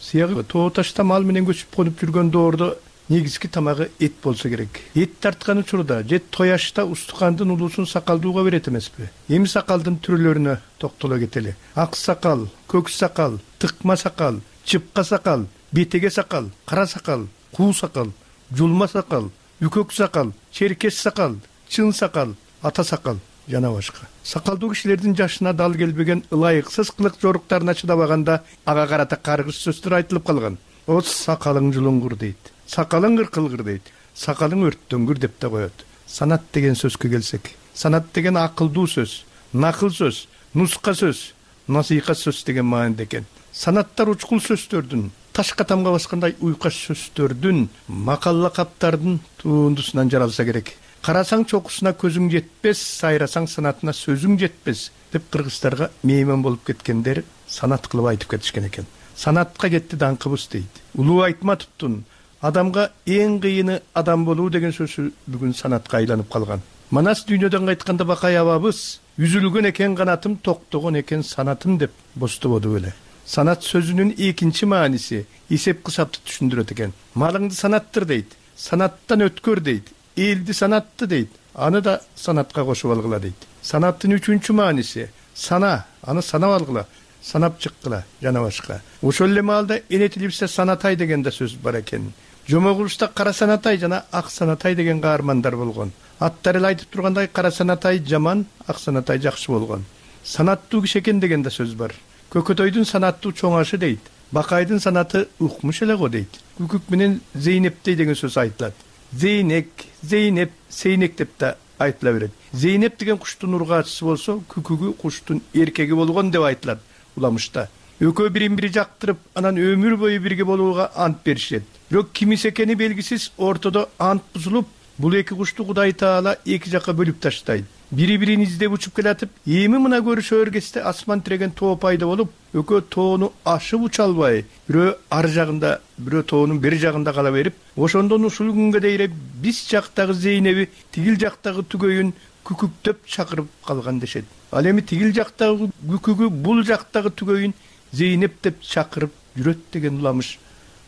Сыягы тоо ташта мал менен көчүп конуп жүргөн доордо негизги тамагы эт болсо керек. Эт тарткан учурда же тояшта устукандын улуусун сакалдууга берет эмеспи? Эми сакалдын түрлөрүнө токтоло кетели. Ак сакал, көк сакал, тыкма сакал, чыпка сакал, бетеге сакал, кара сакал, куу сакал, жулма сакал, үкөк сакал, черкес сакал, чын сакал, ата сакал жана башка. Сакалдуу кишилердин жашына дал келбеген ылайыксыз кылык жоруктарына чыдабаганда ага карата каргыш сөздөр айтылып калган. О сакалың жулуңгур дейт. Сакалың кыркылгыр дейт. Сакалың өрттөнгүр деп да коет. Санат деген сөзгө келсек, санат деген акылдуу сөз, накыл сөз, нуска сөз, насыйкат сөз деген мааниде экен. Санаттар учкул сөздөрдүн, ташка тамга баскандай уйкаш сөздөрдүн, макалла каптардын туундусунан жаралса керек. Карасаң чокусуна көзүң жетпес, сайрасаң санатына сөзүң жетпес деп кыргыздарга мейман болуп кеткендер санат кылып айтып кетишкен экен. Санатка кетти даңкыбыз дейт. Улуу Айтматовдун адамга эң кыйыны адам болуу деген сөзү бүгүн санатка айланып калган. Манас дүйнөдөн кайтканда Бакай абабыз үзүлгөн экен канатым, токтогон экен санатым деп бостободу эле. Санат сөзүнүн экинчи мааниси эсеп кысапты түшүндүрөт экен. Малыңды санаттыр дейт, санаттан өткөр дейт, элди санатты дейт, аны да санатка кошуп алгыла дейт. Санаттын үчүнчү мааниси сана, аны санап алгыла, санап чыккыла жана башка. Ошол эле маалда энетилипсе санатай деген да сөз бар экен. Жомогулушта кара санатай жана ак санатай деген каармандар болгон. Аттар эле айтып тургандай кара санатай жаман, ак санатай жакшы болгон. Санаттуу киши экен деген да сөз бар. Көкөтөйдүн санаттуу чоңашы дейт. Бакайдын санаты укмуш эле го дейт. Күкүк менен Зейнептей деген сөз айтылат. Зейнек, Зейнеп, Сейнек деп да айтыла берет. Зейнеп деген куштун ургаачысы болсо, күкүгү куштун эркеги болгон деп айтылат уламышта. Экөө бирин бири жактырып, анан өмүр бою бирге болууга ант беришет. Бирок кимис экени белгисиз ортодо ант бузулуп, бул эки кушту Кудай Таала эки жакка бөлүп таштайт. бири бирин издеп учуп келатып, эми мына көрүшөөр кезде асман тиреген тоо пайда болуп, экөө тоону ашып уча албай, бирөө ар жагында, бирөө тоонун бери жагында кала берип, ошондон ушул күнгө дейин биз жактагы Зейнеби тигил жактагы түгөйүн күкүктөп чакырып калган дешет. Ал эми тигил жактагы күкүгү бул жактагы түгөйүн Зейнеп деп чакырып жүрөт деген уламыш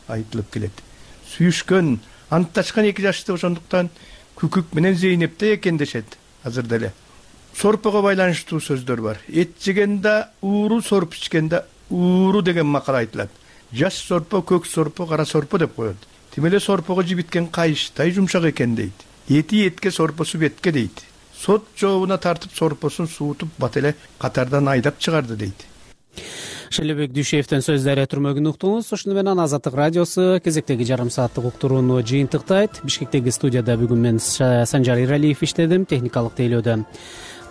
айтылып келет. Сүйүшкөн, антташкан эки жашты ошондуктан күкүк менен Зейнепте экен дешет азыр деле. Сорпого байланыштуу сөздөр бар. Эт жегенде ууру, сорп ичкенде ууру деген макал айтылат. Жаш сорпо, көк сорпо, кара сорпо деп коет. Тим эле сорпого жибиткен кайыштай жумшак экен дейт. Эти этке, сорпосу бетке дейт. Сот жообуна тартып сорпосун суутуп бат эле катардан айдап чыгарды дейт. Шелебек Дүйшеевдин сөздөрү түрмөгүн уктуңуз. Ошону менен Азаттык радиосу кезектеги жарым сааттык уктурууну жыйынтыктайт. Бишкектеги студияда бүгүн мен Санжар Иралиев иштедим, техникалык тейлөөдө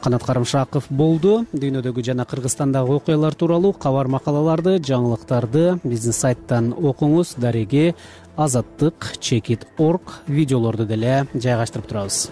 Канат Карымшаков болду. Дүйнөдөгү жана Кыргызстандагы окуялар тууралуу кабар макалаларды, жаңылыктарды биздин сайттан окуңуз. Дареги азаттык чекит точка орг видеолорду деле жайгаштырып турабыз.